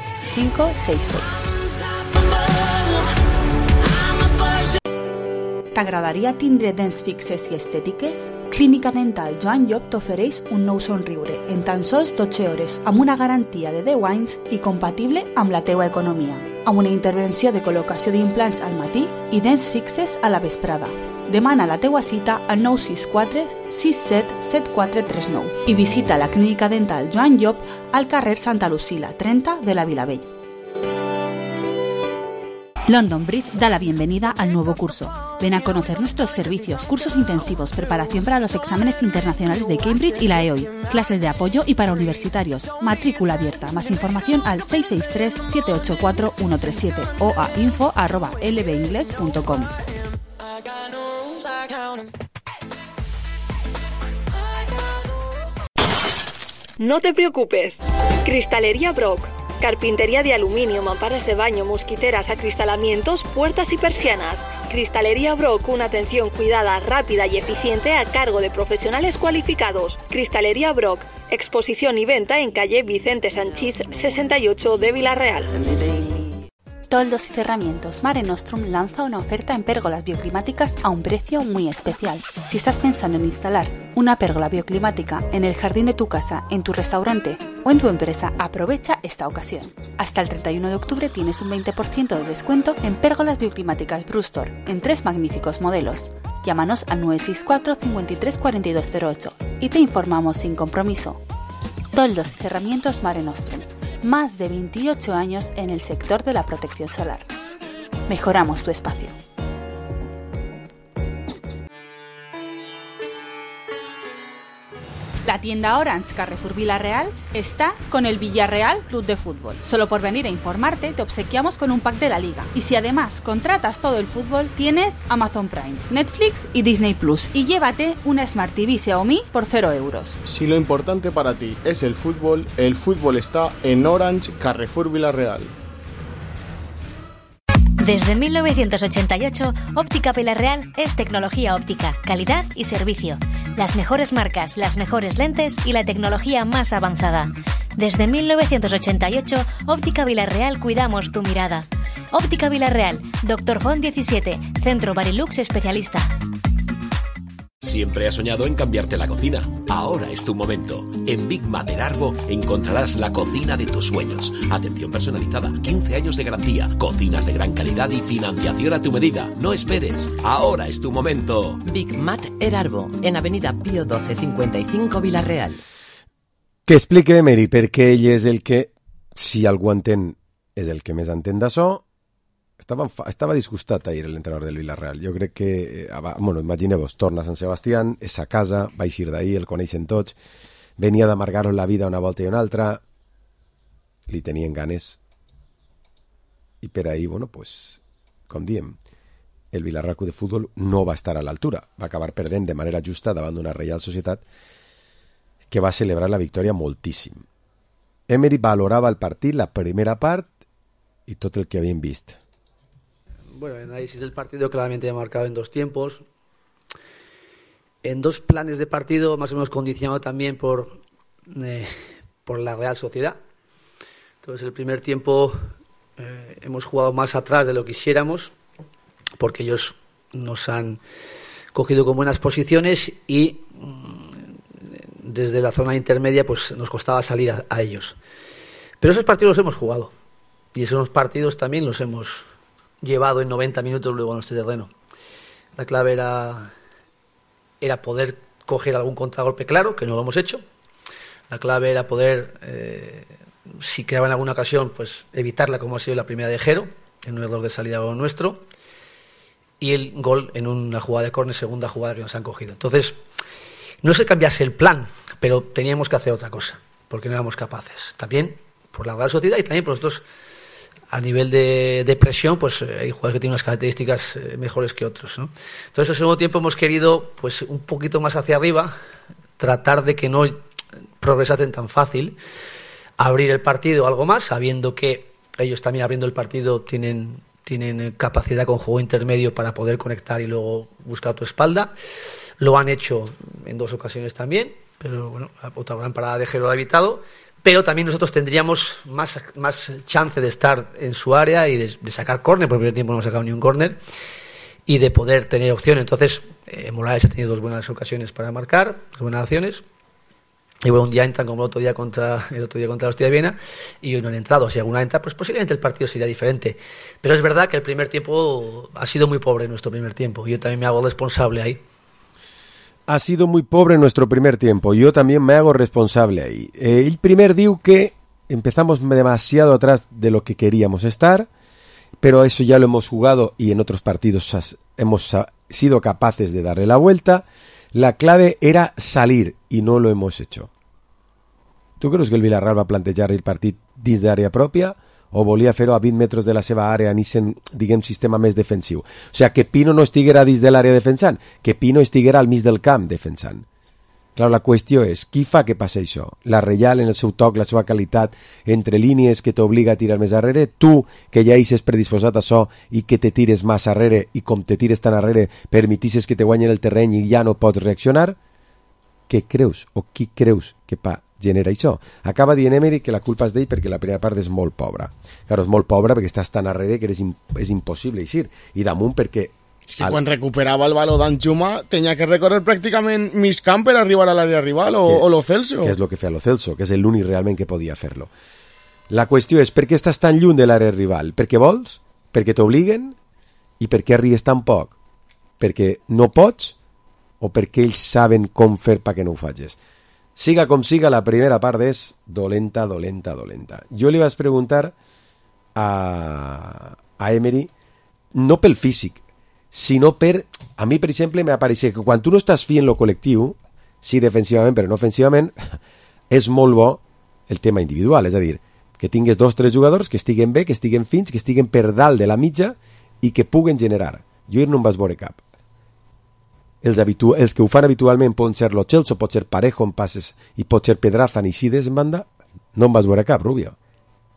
T'agradaria tindre dents fixes i estètiques? Clínica Dental Joan Llop t'ofereix un nou somriure en tan sols 12 hores amb una garantia de 10 anys i compatible amb la teua economia, amb una intervenció de col·locació d'implants al matí i dents fixes a la vesprada. Demana la teua cita al 964 67 7439 i visita la Clínica Dental Joan Llop al carrer Santa Lucila 30 de la Vilavell. London Bridge da la bienvenida al nuevo curso. Ven a conocer nuestros servicios, cursos intensivos, preparación para los exámenes internacionales de Cambridge y la EOI, clases de apoyo y para universitarios, matrícula abierta. Más información al 663-784-137 o a info@lbingles.com. No te preocupes. Cristalería Brock. Carpintería de aluminio, mamparas de baño, mosquiteras, acristalamientos, puertas y persianas. Cristalería Brock, una atención cuidada, rápida y eficiente a cargo de profesionales cualificados. Cristalería Brock, exposición y venta en calle Vicente Sanchís 68 de Vila-real. Toldos y Cerramientos Mare Nostrum lanza una oferta en pérgolas bioclimáticas a un precio muy especial. Si estás pensando en instalar una pérgola bioclimática en el jardín de tu casa, en tu restaurante o en tu empresa, aprovecha esta ocasión. Hasta el 31 de octubre tienes un 20% de descuento en pérgolas bioclimáticas Brustor en 3 magníficos modelos. Llámanos al 964 53 4208 y te informamos sin compromiso. Toldos y Cerramientos Mare Nostrum. Más de 28 años en el sector de la protección solar. Mejoramos tu espacio. La tienda Orange Carrefour Vila-real está con el Villarreal Club de Fútbol. Solo por venir a informarte te obsequiamos con un pack de la liga. Y si además contratas todo el fútbol, tienes Amazon Prime, Netflix y Disney Plus. Y llévate una Smart TV Xiaomi por 0 euros. Si lo importante para ti es el fútbol está en Orange Carrefour Vila-real. Desde 1988, Óptica Vila-real es tecnología óptica, calidad y servicio. Las mejores marcas, las mejores lentes y la tecnología más avanzada. Desde 1988, Óptica Vila-real cuidamos tu mirada. Óptica Vila-real, Dr. Font 17, Centro Barilux especialista. Siempre has soñado en cambiarte la cocina. Ahora es tu momento. En Big Mater Arbo encontrarás la cocina de tus sueños. Atención personalizada, 15 años de garantía, cocinas de gran calidad y financiación a tu medida. No esperes. Ahora es tu momento. Big Mater Arbo, en Avenida Pío 12 55 Vila-real. Que explique Emery perquè ell és el que, si algú entén, és el que més entén d'això. Estava disgustat ahir l'entrenador del Villarreal. Jo crec que, bueno, imagineu-vos, torna a Sant Sebastián, és a casa, va eixir d'ahir, el coneixen tots, venia d'amargar-ho la vida una volta i una altra, li tenien ganes, i per ahir, bueno, pues, com diem, el Villarreal Club de Futbol no va estar a l'altura, va acabar perdent de manera justa davant d'una Reial Societat que va celebrar la victòria moltíssim. Emery valorava el partit, la primera part, i tot el que havien vist. Bueno, el análisis del partido claramente marcado en 2 tiempos. en 2 planes de partido, más o menos condicionado también por la Real Sociedad. Entonces, el primer tiempo hemos jugado más atrás de lo que quisiéramos, porque ellos nos han cogido con buenas posiciones y desde la zona intermedia pues nos costaba salir a ellos. Pero esos partidos los hemos jugado y esos partidos también los hemos llevado en 90 minutos luego a nuestro terreno. La clave era poder coger algún contragolpe claro, que no lo hemos hecho. La clave era poder, si quedaba en alguna ocasión, pues evitarla, como ha sido la primera de Jero, en un error de salida nuestro, y el gol en una jugada de córner, segunda jugada que nos han cogido. Entonces, no es que cambiase el plan, pero teníamos que hacer otra cosa, porque no éramos capaces. También por la Real Sociedad y también por nosotros, a nivel de presión, pues hay jugadores que tienen unas características mejores que otros, ¿no? Entonces, al segundo tiempo hemos querido, pues, un poquito más hacia arriba, tratar de que no progresasen tan fácil, abrir el partido algo más, sabiendo que ellos también abriendo el partido tienen capacidad con juego intermedio para poder conectar y luego buscar tu espalda. Lo han hecho en 2 ocasiones también, pero bueno, otra gran parada de Jero lo ha evitado. Pero también nosotros tendríamos más chance de estar en su área y de sacar córner, porque en el primer tiempo no hemos sacado ni un córner, y de poder tener opción. Entonces, Morales ha tenido 2 buenas ocasiones para marcar, 2 buenas acciones. Y bueno, un día entran como el otro día contra la Hostia de Viena y hoy no han entrado. Si alguna entra, pues posiblemente el partido sería diferente. Pero es verdad que el primer tiempo ha sido muy pobre nuestro primer tiempo. Yo también me hago responsable ahí. Ha sido muy pobre nuestro primer tiempo. Yo también me hago responsable ahí. El primer diu que empezamos demasiado atrás de lo que queríamos estar, pero eso ya lo hemos jugado y en otros partidos hemos sido capaces de darle la vuelta. La clave era salir i no lo hemos hecho. Tu creus que el Villarreal va plantejar el partit dins d'àrea pròpia o volia fer-ho a 20 metres de la seva àrea en aquest, diguem, sistema més defensiu? O sigui, que Pino no estiguera dins de l'àrea defensant, que Pino estiguera al mig del camp defensant. Clar, la qüestió és, qui fa que passi això? La Reial en el seu toc, la seva qualitat, entre línies que t'obliga a tirar més darrere, tu que ja eixes predisposat a això i que te tires més darrere i com te tires tan darrere permetisses que te guanyen el terreny i ja no pots reaccionar? Què creus o qui creus que genera això? Acaba dient Emery que la culpa és d'ell perquè la primera part és molt pobra. Claro, és molt pobra perquè estàs tan darrere que és impossible eixir. I damunt perquè es que quan recuperava el baló d'Anxuma tenia que recórrer pràcticament mig camp per arribar a l'àrea rival o Lo Celso. Que és el que feia Lo Celso, que és l'únic realment que podia fer-lo. La qüestió és per què estàs tan lluny de l'àrea rival? Perquè vols? Perquè t'obliguen? I per què arribes tan poc? Perquè no pots? O perquè ells saben com fer perquè no ho facis? Siga com siga, la primera part és dolenta. Jo li vaig preguntar a Emery, no pel físic, sinó a mi, per exemple, m'apareixia que quan tu no estàs fent lo col·lectiu, sí defensivament però no ofensivament, és molt bo el tema individual, és a dir, que tingues 2 o 3 jugadors que estiguen bé, que estiguen fins, que estiguen per dalt de la mitja i que puguen generar. Jo no em vaig veure cap. Els que ho fan habitualment poden ser Lo Celso, pot ser Parejo en passes i pot ser Pedraza ni Sides en banda, no em vaig veure cap, Rubio.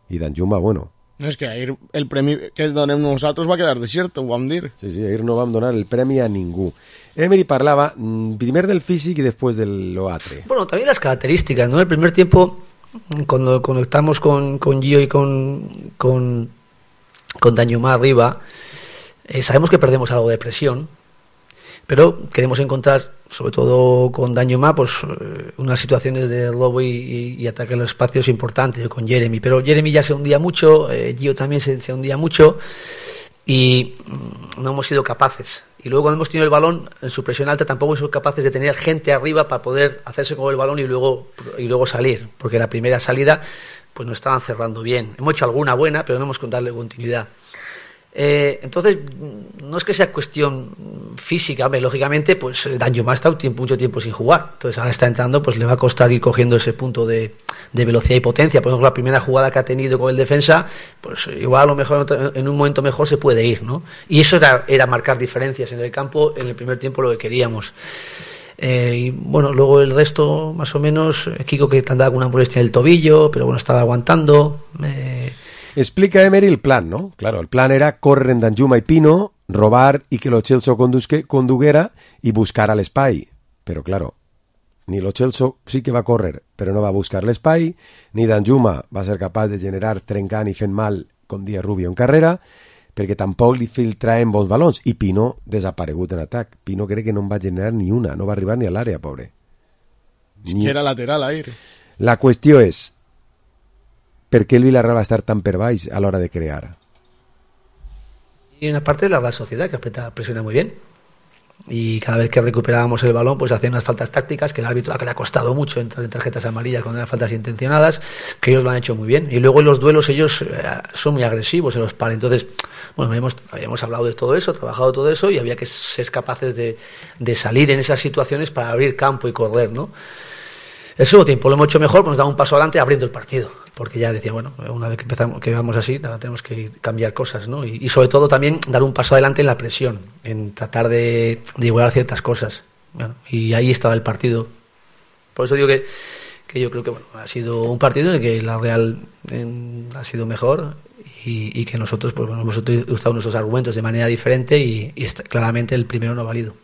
I Danjuma, bueno. No, és que ahir el premi que donem nosaltres va quedar desert, ho vam dir. Sí, ahir no vam donar el premi a ningú. Emery parlava primer del físic y después de lo atre. Bueno, también las características, ¿no? El primer tiempo, cuando conectamos con Gio y con Danjuma arriba, sabemos que perdemos algo de presión, pero queremos encontrar, sobre todo con Danjuma, pues unas situaciones de robo y ataque a los espacios importantes con Jeremy, pero Jeremy ya se hundía mucho, Gio también se hundía mucho y no hemos sido capaces. Y luego cuando hemos tenido el balón en su presión alta tampoco hemos sido capaces de tener gente arriba para poder hacerse con el balón y luego salir, porque la primera salida pues no estaban cerrando bien. Hemos hecho alguna buena, pero no hemos darle continuidad. Entonces no es que sea cuestión física, hombre, lógicamente pues Danjuma ha estado mucho tiempo sin jugar, entonces ahora está entrando, pues le va a costar ir cogiendo ese punto de velocidad y potencia. Por ejemplo, la primera jugada que ha tenido con el defensa, pues igual a lo mejor en un momento mejor se puede ir, ¿no? Y eso era marcar diferencias en el campo en el primer tiempo, lo que queríamos. Y bueno, luego el resto más o menos, Kiko que andaba con una molestia en el tobillo, pero bueno, estaba aguantando. Explica Emery el plan, ¿no? Claro, el plan era córrer en Danjuma y Pino, robar y que Lo Celso conduguera y buscar al espai. Però, claro, ni Lo Celso sí que va córrer, però no va buscar l'espai, ni Danjuma va ser capaç de generar trencant i fent mal com dia Rubio en carrera, perquè tampoc li filtraven bons balons, i Pino desaparegut en atac. Pino crec que no en va generar ni una, no va arribar ni a l'àrea, pobre. Es que era lateral ahí. La qüestió és, per què el Villarreal va estar tan per baix a l'hora de crear? Y una parte de la Real Sociedad, que presiona muy bien. Y cada vez que recuperábamos el balón, pues hacían unas faltas tácticas que el árbitro, que le ha costado mucho entrar en tarjetas amarillas cuando eran faltas intencionadas, que ellos lo han hecho muy bien. Y luego en los duelos ellos son muy agresivos en los pares. Entonces, bueno, habíamos hablado de todo eso, trabajado todo eso, y había que ser capaces de salir en esas situaciones para abrir campo y correr, ¿no? El segundo tiempo lo hemos hecho mejor, pues nos damos un paso adelante abriendo el partido, porque ya decía, bueno, una vez que empezamos, que vamos así, tenemos que cambiar cosas, ¿no? Y sobre todo también dar un paso adelante en la presión, en tratar de igualar ciertas cosas. Bueno, y ahí estaba el partido. Por eso digo que yo creo que bueno, ha sido un partido en el que la Real ha sido mejor y que nosotros pues bueno, hemos utilizado nuestros argumentos de manera diferente y claramente el primero no ha valido.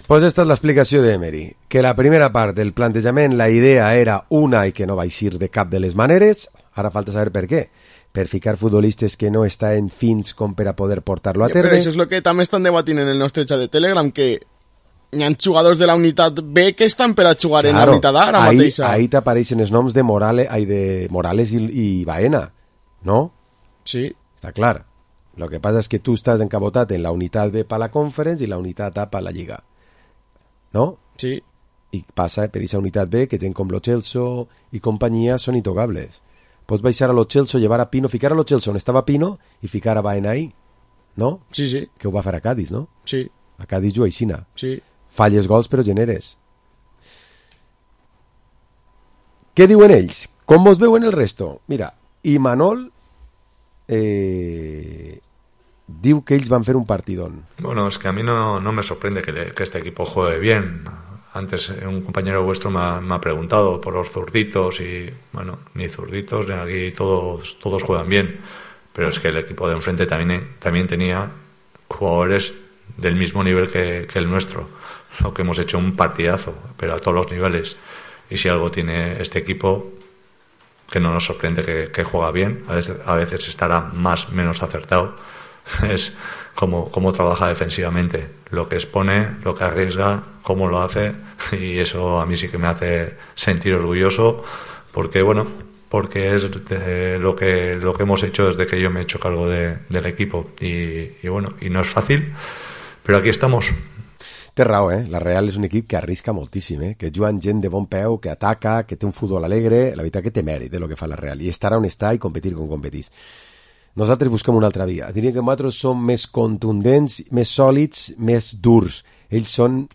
Pues esta és l'explicació d'Emery, que la primera part del plantejament, la idea era una i que no va eixir de cap de les maneres, ara falta saber per què, per ficar futbolistes que no estan fins com per a poder portar-lo a terme. Però això és el que també estan debatint en el nostre xat de Telegram, que hi ha jugadors de la unitat B que estan per a jugar en la unitat A ara mateixa. Ahí t'apareixen els noms de Morales i Baena, no? Sí. Està clar. Lo que passa és que tu estàs encabotat en la unitat B per la Conference i la unitat A per la Lliga. ¿No? Sí. I passa per aquesta unitat B que gent com Lo Celso i companyia són intocables. Pots baixar a Lo Celso, llevar a Pino, ficar a Lo Celso on estava Pino i ficar a Baena ahí, ¿no? Sí, sí. Que ho va fer a Cádiz, no? Sí. A Cádiz juga aixina. Sí. Falles gols però generes. Què diuen ells? Com vos veuen el resto? Mira, Imanol diu que ells van fer un partidón. Bueno, es que a mí no me sorprende que este equipo juegue bien. Antes un compañero vuestro me ha preguntado por los zurditos y, bueno, ni zurditos, ni aquí todos juegan bien. Pero es que el equipo de enfrente también tenía jugadores del mismo nivel que el nuestro. Lo que hemos hecho un partidazo, pero a todos los niveles. Y si algo tiene este equipo, que no nos sorprende que juega bien, a veces estará más menos acertado, es cómo trabaja defensivamente, lo que expone, lo que arriesga, cómo lo hace, y eso a mí sí que me hace sentir orgulloso, porque es lo que hemos hecho desde que yo me he hecho cargo del equipo, y bueno, y no es fácil, pero aquí estamos. Té raó, La Real és un equip que arrisca moltíssim, que juguen gent de bon peu, que ataca, que té un futbol alegre, la veritat que té mèrit de lo que fa la Real, i estar on està i competir com competís. Nosaltres busquem una altra via. Diria que nosaltres som més contundents, més sòlids, més durs. Ells són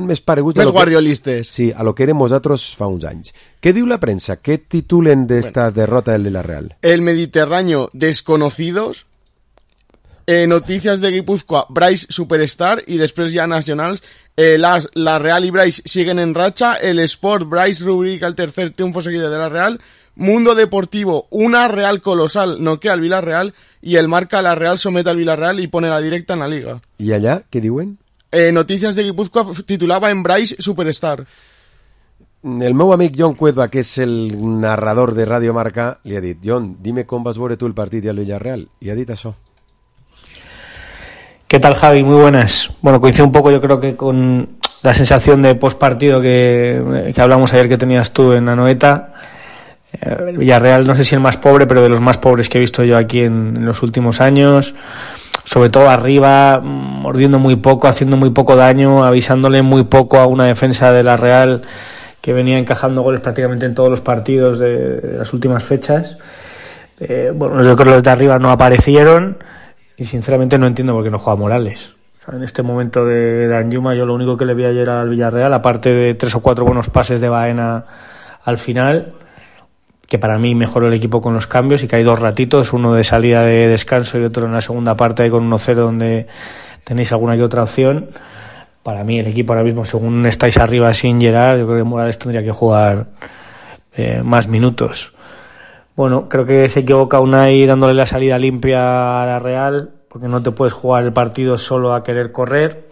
més pareguts... Més guardiolistes. Sí, a lo que érem nosaltres fa uns anys. Què diu la premsa? Què titulen d'esta derrota del la Real? El Mediterráneo desconocidos, noticias de Guipúzcoa, Bryce Superstar, y després ja nacionals, la Real y Bryce siguen en racha, el Sport, Bryce rubrica el tercer triunfo seguido de la Real, Mundo Deportivo, una Real colosal, noquea al Villarreal, y el Marca, la Real somete al Villarreal y pone la directa en la Liga. I allà, què diuen? Noticias de Guipúzcoa titulava en Bryce Superstar. El meu amic John Cuedva, que és el narrador de Radio Marca, li ha dit: John, dime com vas veure tu el partit i el Villarreal. I ha dit això. ¿Qué tal, Javi? Muy buenas. Bueno, coincide un poco, yo creo que con la sensación de postpartido que hablamos ayer que tenías tú en Anoeta. El Villarreal, no sé si el más pobre, pero de los más pobres que he visto yo aquí en los últimos años. Sobre todo arriba, mordiendo muy poco, haciendo muy poco daño, avisándole muy poco a una defensa de la Real que venía encajando goles prácticamente en todos los partidos de las últimas fechas. Bueno, yo creo que los de arriba no aparecieron. Y sinceramente no entiendo por qué no juega Morales. O sea, en este momento de Danjuma, yo lo único que le vi ayer al Villarreal, aparte de 3 o 4 buenos pases de Baena al final, que para mí mejoró el equipo con los cambios y que hay 2 ratitos, uno de salida de descanso y otro en la segunda parte con 1-0 donde tenéis alguna que otra opción. Para mí el equipo ahora mismo, según estáis arriba sin Gerard, yo creo que Morales tendría que jugar más minutos. Bueno, creo que se equivoca Unai dándole la salida limpia a la Real, porque no te puedes jugar el partido solo a querer correr.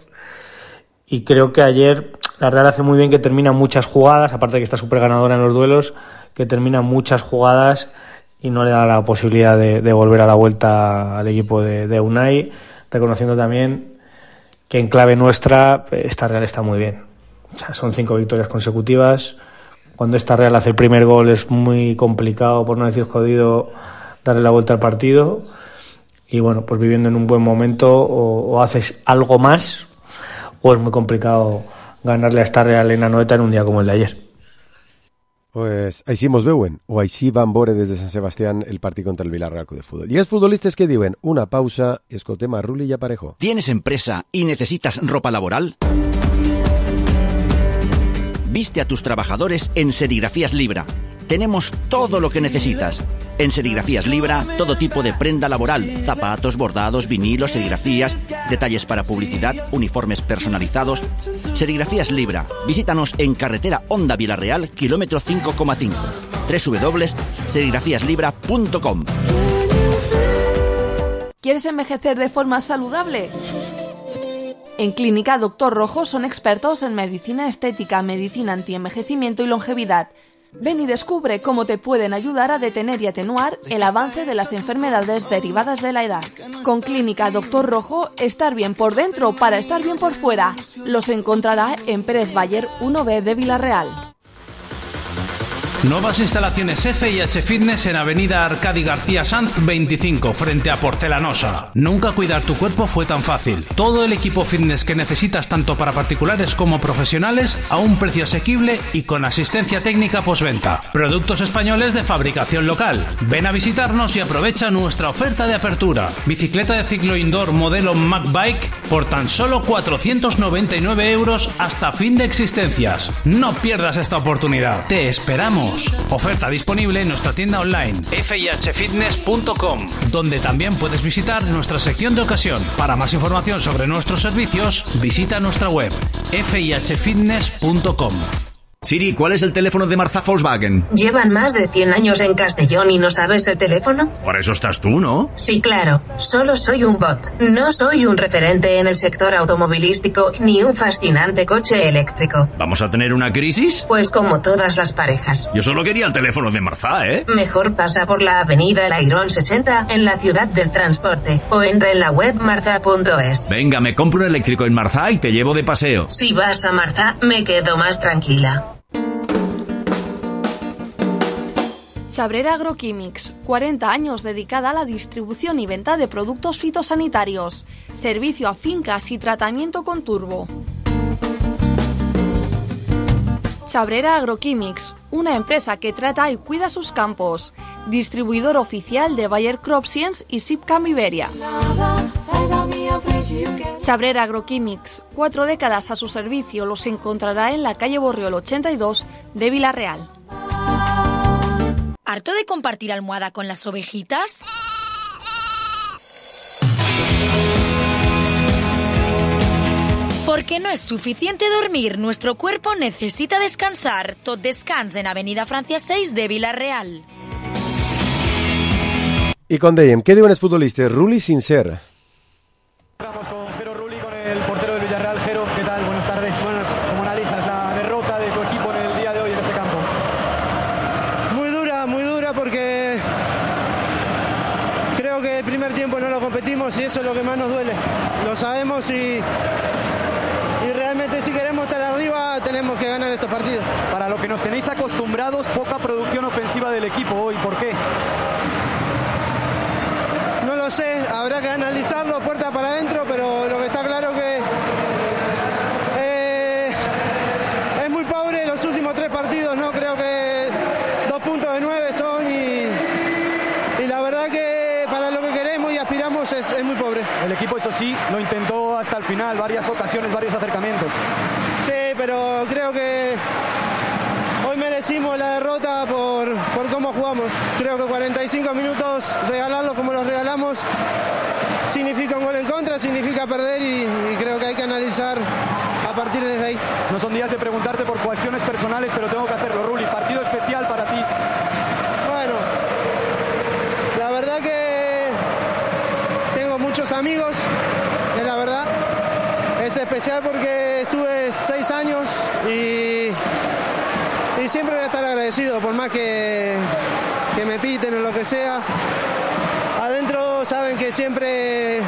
y creo que ayer la Real hace muy bien que termina muchas jugadas, aparte de que está súper ganadora en los duelos, que termina muchas jugadas y no le da la posibilidad de volver a la vuelta al equipo de Unai, reconociendo también que en clave nuestra esta Real está muy bien. O sea, son 5 victorias consecutivas. Cuando esta Real hace el primer gol es muy complicado, por no decir jodido, darle la vuelta al partido. Y bueno, pues viviendo en un buen momento o haces algo más o es muy complicado ganarle a esta Real en Anoeta en un día como el de ayer. Pues així mos veuen, o així van veure des de Sant Sebastián el partit contra el Villarreal Club de Fútbol. I els futbolistes que diuen una pausa i escoltem a Rulli i a Parejo. ¿Tienes empresa y necesitas ropa laboral? Viste a tus trabajadores en Serigrafías Libra. Tenemos todo lo que necesitas. En Serigrafías Libra, todo tipo de prenda laboral, zapatos, bordados, vinilos, serigrafías, detalles para publicidad, uniformes personalizados. Serigrafías Libra. Visítanos en carretera Honda Villarreal, kilómetro 5,5. www.serigrafíaslibra.com. ¿Quieres envejecer de forma saludable? En Clínica Doctor Rojo son expertos en medicina estética, medicina antienvejecimiento y longevidad. Ven y descubre cómo te pueden ayudar a detener y atenuar el avance de las enfermedades derivadas de la edad. Con Clínica Doctor Rojo, estar bien por dentro para estar bien por fuera. Los encontrará en Pérez Bayer 1B de Villarreal. Nuevas instalaciones F&H Fitness en Avenida Arcadi García Sanz 25, frente a Porcelanosa. Nunca cuidar tu cuerpo fue tan fácil. Todo el equipo fitness que necesitas tanto para particulares como profesionales a un precio asequible y con asistencia técnica postventa. Productos españoles de fabricación local. Ven a visitarnos y aprovecha nuestra oferta de apertura. Bicicleta de ciclo indoor modelo MacBike por tan solo 499 € hasta fin de existencias. No pierdas esta oportunidad. Te esperamos. Oferta disponible en nuestra tienda online fihfitness.com, donde también puedes visitar nuestra sección de ocasión. Para más información sobre nuestros servicios, visita nuestra web fihfitness.com. Siri, ¿cuál es el teléfono de Marza Volkswagen? ¿Llevan más de 100 años en Castellón y no sabes el teléfono? Por eso estás tú, ¿no? Sí, claro. Solo soy un bot. No soy un referente en el sector automovilístico ni un fascinante coche eléctrico. ¿Vamos a tener una crisis? Pues como todas las parejas. Yo solo quería el teléfono de Marza, ¿eh? Mejor pasa por la avenida El Airón 60 en la ciudad del transporte o entra en la web marza.es. Venga, me compro un eléctrico en Marza y te llevo de paseo. Si vas a Marza, me quedo más tranquila. Sabrera Agroquímics, 40 años dedicada a la distribución y venta de productos fitosanitarios, servicio a fincas y tratamiento con turbo. Sabrera Agroquímics, una empresa que trata y cuida sus campos, distribuidor oficial de Bayer CropScience y Sipcam Iberia. Sabrera Agroquímics, 4 décadas a su servicio, los encontrará en la calle Borriol 82 de Villarreal. ¿Harto de compartir almohada con las ovejitas? Porque no es suficiente dormir, nuestro cuerpo necesita descansar. Tot Descans en Avenida Francia 6 de Villarreal. I com dèiem, què diuen els futbolistes? Rulli Sincer. Vamos con Jero Rulli, con el portero del Villarreal. Jero, ¿qué tal? Buenas tardes. Buenas. ¿Cómo analizas la derrota de tu equipo en el día de hoy en este campo? Muy dura porque creo que el primer tiempo no lo competimos y eso es lo que más nos duele. Lo sabemos y realmente si queremos estar arriba tenemos que ganar estos partidos. Para lo que nos tenéis acostumbrados, poca producción ofensiva del equipo hoy. ¿Por qué? No lo sé, habrá que analizarlo puerta para adentro, pero lo que está claro que es muy pobre los últimos 3 partidos, ¿no? Creo que 2 puntos de 9 son y la verdad que para lo que queremos y aspiramos es muy pobre. El equipo, eso sí, lo intentó hasta el final, varias ocasiones, varios acercamientos. Sí, pero creo que hoy merecimos la derrota por cómo jugamos. Creo que 45 minutos, regalarlos como los regalamos, significa un gol en contra, significa perder y creo que hay que analizar a partir de ahí. No son días de preguntarte por cuestiones personales, pero tengo que hacerlo. Rulli, partido especial para ti. Bueno, la verdad que tengo muchos amigos, es la verdad. Es especial porque estuve es 6 años y siempre voy a estar agradecido, por más que me piten o lo que sea. Adentro saben que siempre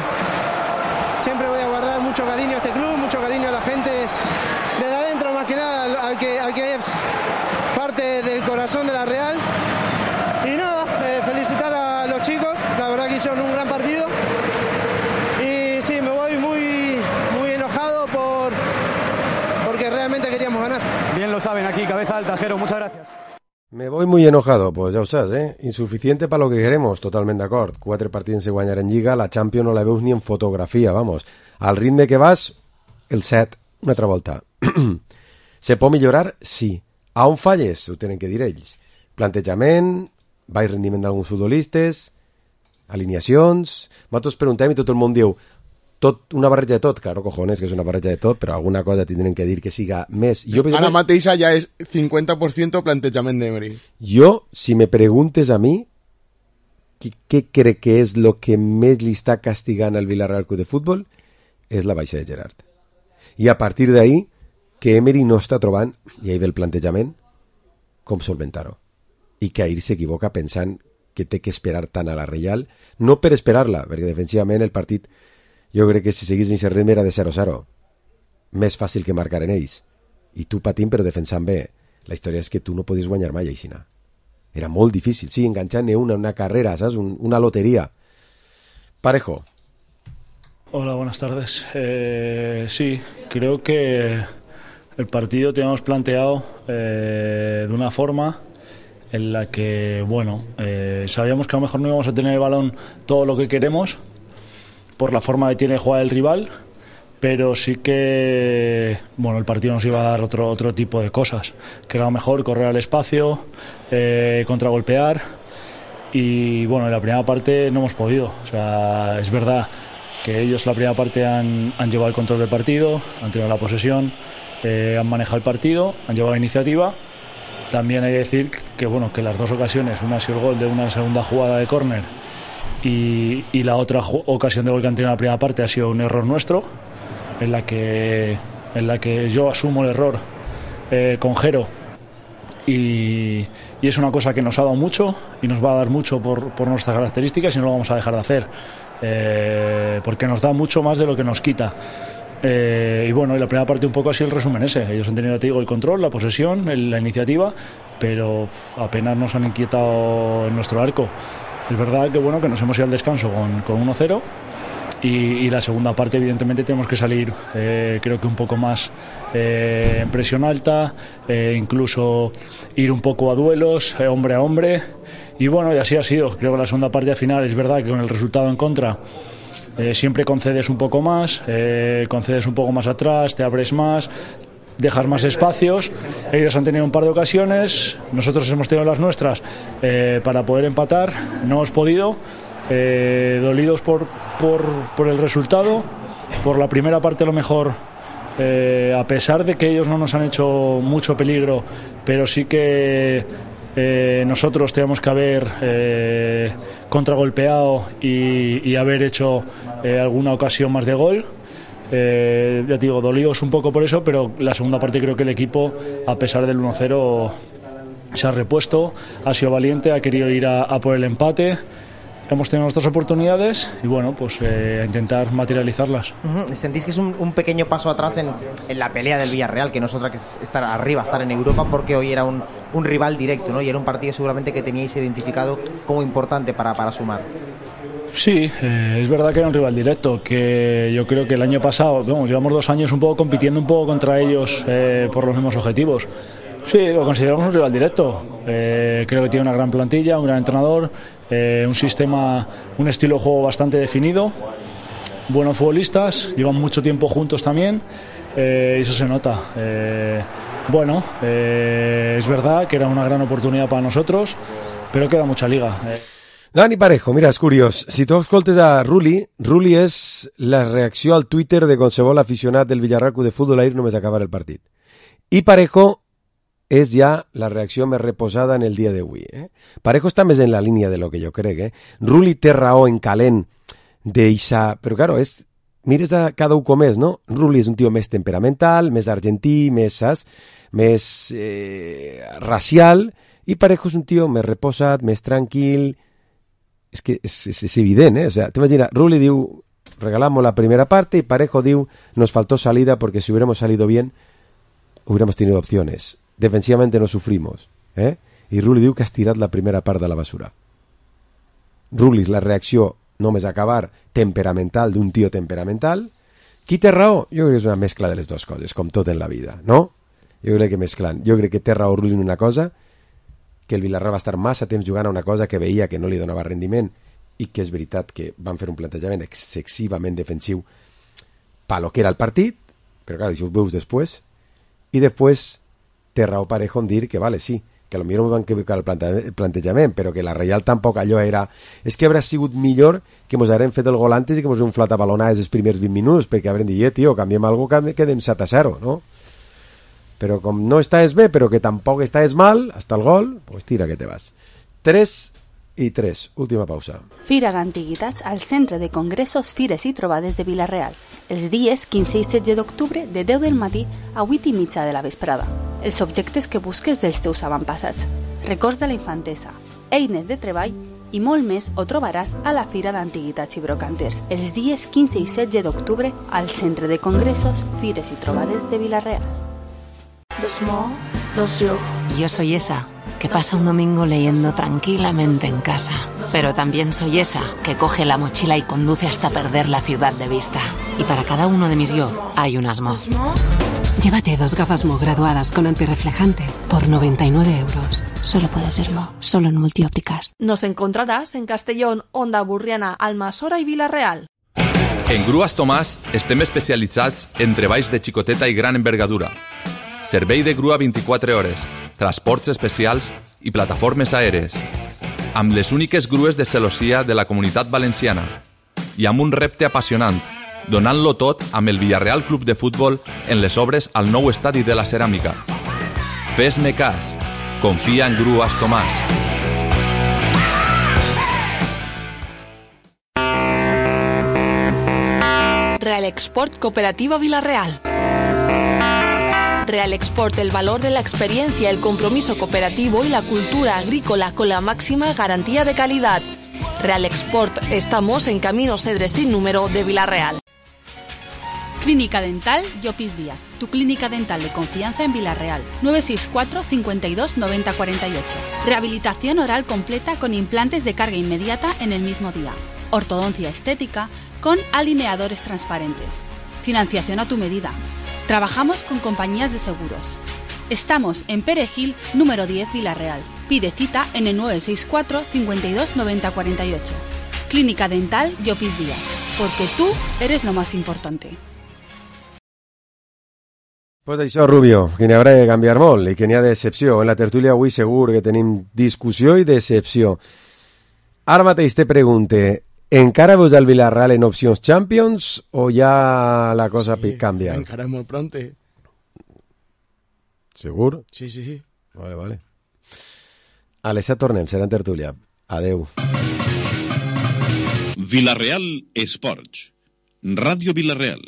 voy a guardar mucho cariño a este club, mucho cariño a la gente desde adentro, más que nada al que es parte del corazón de la Real. Y nada, felicitar a los chicos, la verdad que hicieron un gran partido. Y sí, me voy muy enojado porque realmente queríamos ganar. Bien lo saben aquí, cabeza alta, Jero, muchas gracias. Me voy muy enojado, pues ja ho saps, Insuficiente para lo que queremos, totalment d'acord. 4 partits sense guanyar en Lliga, la Champions no la veus ni en fotografia, vamos. Al ritme que vas, el 7, una altra volta. Se pot millorar? Sí. A on falles? Ho tenen que dir ells. Plantejament, baix rendiment d'alguns futbolistes, alineacions... Nosaltres preguntem i tot el món diu tot, una barreja de tot, claro, cojones, que és una barreja de tot, però alguna cosa tindrem que dir que siga més. Ara mateixa ja és 50% plantejament d'Emery. Jo, si me preguntes a mi, què crec que és el que més li està castigant al Villarreal Club de Futbol, és la baixa de Gerard. I a partir d'ahí, que Emery no està trobant, i ahí ve el plantejament, com solventar-ho. I que ahir s'equivoca pensant que té que esperar tant a la Reial, no per esperar-la, perquè defensivament el partit, jo crec que si seguís en aquest ritme era de 0-0. Més fàcil que marcar en ells. I tu patint però defensant bé. La història és que tu no podies guanyar mai aixina. Era molt difícil, sí, enganchant una carrera, ¿sabes? Una lotería. Parejo. Hola, buenas tardes. Sí, creo que el partido teníamos planteado de una forma en la que, bueno, sabíamos que a lo mejor no íbamos a tener el balón todo lo que queremos por la forma que tiene de jugar el rival, pero sí que, bueno, el partido nos iba a dar otro tipo de cosas, que era mejor correr al espacio, contragolpear, y bueno, en la primera parte no hemos podido. O sea, es verdad que ellos en la primera parte han llevado el control del partido, han tenido la posesión, han manejado el partido, han llevado la iniciativa. También hay que decir que, bueno, que las dos ocasiones, una ha sido el gol de una segunda jugada de córner y la otra ocasión de gol que han tenido en la primera parte ha sido un error nuestro, en la que yo asumo el error con Jero, y es una cosa que nos ha dado mucho y nos va a dar mucho por nuestras características, y no lo vamos a dejar de hacer, porque nos da mucho más de lo que nos quita. Y bueno, y la primera parte un poco así el resumen ese. Ellos han tenido, te digo, el control, la posesión, la iniciativa, pero apenas nos han inquietado en nuestro arco. Es verdad que bueno, que nos hemos ido al descanso con 1-0, y la segunda parte evidentemente tenemos que salir, creo que un poco más en presión alta, incluso ir un poco a duelos, hombre a hombre, y bueno, y así ha sido. Creo que la segunda parte al final es verdad que con el resultado en contra siempre concedes un poco más, concedes un poco más atrás, te abres más, dejas más espacios. Ellos han tenido un par de ocasiones, nosotros hemos tenido las nuestras para poder empatar, no hemos podido, dolidos por el resultado, por la primera parte a lo mejor, a pesar de que ellos no nos han hecho mucho peligro, pero sí que nosotros tenemos que haber contragolpeado y haber hecho alguna ocasión más de gol. Ya te digo, dolidos un poco por eso, pero la segunda parte creo que el equipo, a pesar del 1-0, se ha repuesto, ha sido valiente, ha querido ir a por el empate. Hemos tenido nuestras oportunidades y bueno, pues a intentar materializarlas. ¿Sentís que es un pequeño paso atrás en la pelea del Villarreal, que no es otra que estar arriba, estar en Europa, porque hoy era un rival directo, ¿no? Y era un partido seguramente que teníais identificado como importante para sumar? Sí, es verdad que era un rival directo, que yo creo que el año pasado, llevamos 2 años un poco compitiendo un poco contra ellos por los mismos objetivos. Sí, lo consideramos un rival directo. Creo que tiene una gran plantilla, un gran entrenador, un sistema, un estilo de juego bastante definido, buenos futbolistas, llevan mucho tiempo juntos también, y eso se nota. Bueno, es verdad que era una gran oportunidad para nosotros, pero queda mucha liga. Dani Parejo, mira, és curiós. Si tu escoltes a Rulli és la reacció al Twitter de qualsevol aficionat del Villarreal Club de Futbol ahir només acabar el partit. I Parejo és ja la reacció més reposada en el dia d'avui. Parejo està més en la línia de lo que jo crec. Rulli té raó en calent d'eixa... Però, claro, és mires a cada un com és, no? Rulli és un tio més temperamental, més argentí, més racial, i Parejo és un tio més reposat, més tranquil. És que és evident, O sea, t'imagina, Rulli diu, regalamos la primera parte, y Parejo diu, nos faltó salida porque si hubiéramos salido bien, hubiéramos tenido opciones. Defensivamente no sufrimos, I Rulli diu que has tirat la primera part de la basura. Rulli, la reacció només acabar temperamental d'un tio temperamental. Qui té raó? Jo crec que és una mescla de les dues coses, com tot en la vida, no? Jo crec que mesclant. Jo crec que té raó Rulli en una cosa, que el Villarreal va estar massa temps jugant a una cosa que veia que no li donava rendiment, i que és veritat que van fer un plantejament excessivament defensiu per lo que era el partit, però clar, això ho veus després, i després té raó Parejo en dir que vale, sí, que potser no van equivocar el plantejament, però que la Reial tampoc allò era... És que haurà sigut millor que mos haguem fet el gol antes i que mos haguem flat a balonades els primers 20 minuts, perquè haurem dit, tio, canviem alguna cosa, quedem 7-0, no? Però com no estàs bé, però que tampoc estàs mal, hasta el gol, pues tira que te vas. 3-3, última pausa. Fira d'Antiguitats al Centre de Congressos, Fires i Trobades de Vila-real, els dies 15 i 16 d'octubre de 10 del matí a 8:30 de la vesprada. Els objectes que busques dels teus avantpassats, records de la infantesa, eines de treball i molt més ho trobaràs a la Fira d'Antiguitats i Brocanters, els dies 15 i 16 d'octubre al Centre de Congressos, Fires i Trobades de Vila-real. Yo soy esa que pasa un domingo leyendo tranquilamente en casa. Pero también soy esa que coge la mochila y conduce hasta perder la ciudad de vista. Y para cada uno de mis yo hay un Asmo. Llévate 2 gafas Mo graduadas con antirreflejante por 99 euros. Solo puede ser Mo, solo en Multiópticas. Nos encontrarás en Castellón, Onda Burriana, Almassora i Vila-real. En Grues Tomàs estem especialitzats en treballs de xicoteta i gran envergadura. Servei de grua 24 hores, transports especials i plataformes aèries, amb les úniques grues de celossia de la Comunitat Valenciana i amb un repte apassionant, donant-lo tot amb el Villarreal Club de Futbol en les obres al nou estadi de la Ceràmica. Fes-me cas, confia en Grues Tomàs. Real Export Cooperativa Vila-real. Real Export, el valor de la experiencia, el compromiso cooperativo y la cultura agrícola con la máxima garantía de calidad. Real Export, estamos en Camino Cedres sin número de Vila-real. Clínica Dental Llopis Díaz, tu clínica dental de confianza en Vila-real. 964 52 90 48. Rehabilitación oral completa con implantes de carga inmediata en el mismo día. Ortodoncia estética con alineadores transparentes. Financiación a tu medida. Trabajamos con compañías de seguros. Estamos en Perejil, número 10, Vila-real. Pide cita en el 964 52 90 48. Clínica Dental Llopis Díaz, porque tú eres lo más importante. Pues això, Rubio, que n'hi haurà de canviar molt i que n'hi ha decepció. En la tertúlia avui segur que tenim discussió i decepció. Ara mateix te pregunte, encara veus el Villarreal en opcions Champions o ja la cosa canvia? Encara és molt pronte. Segur? Sí. Vale. A les 7 tornem, serà en tertúlia. Adeu. Villarreal Esports. Ràdio Villarreal.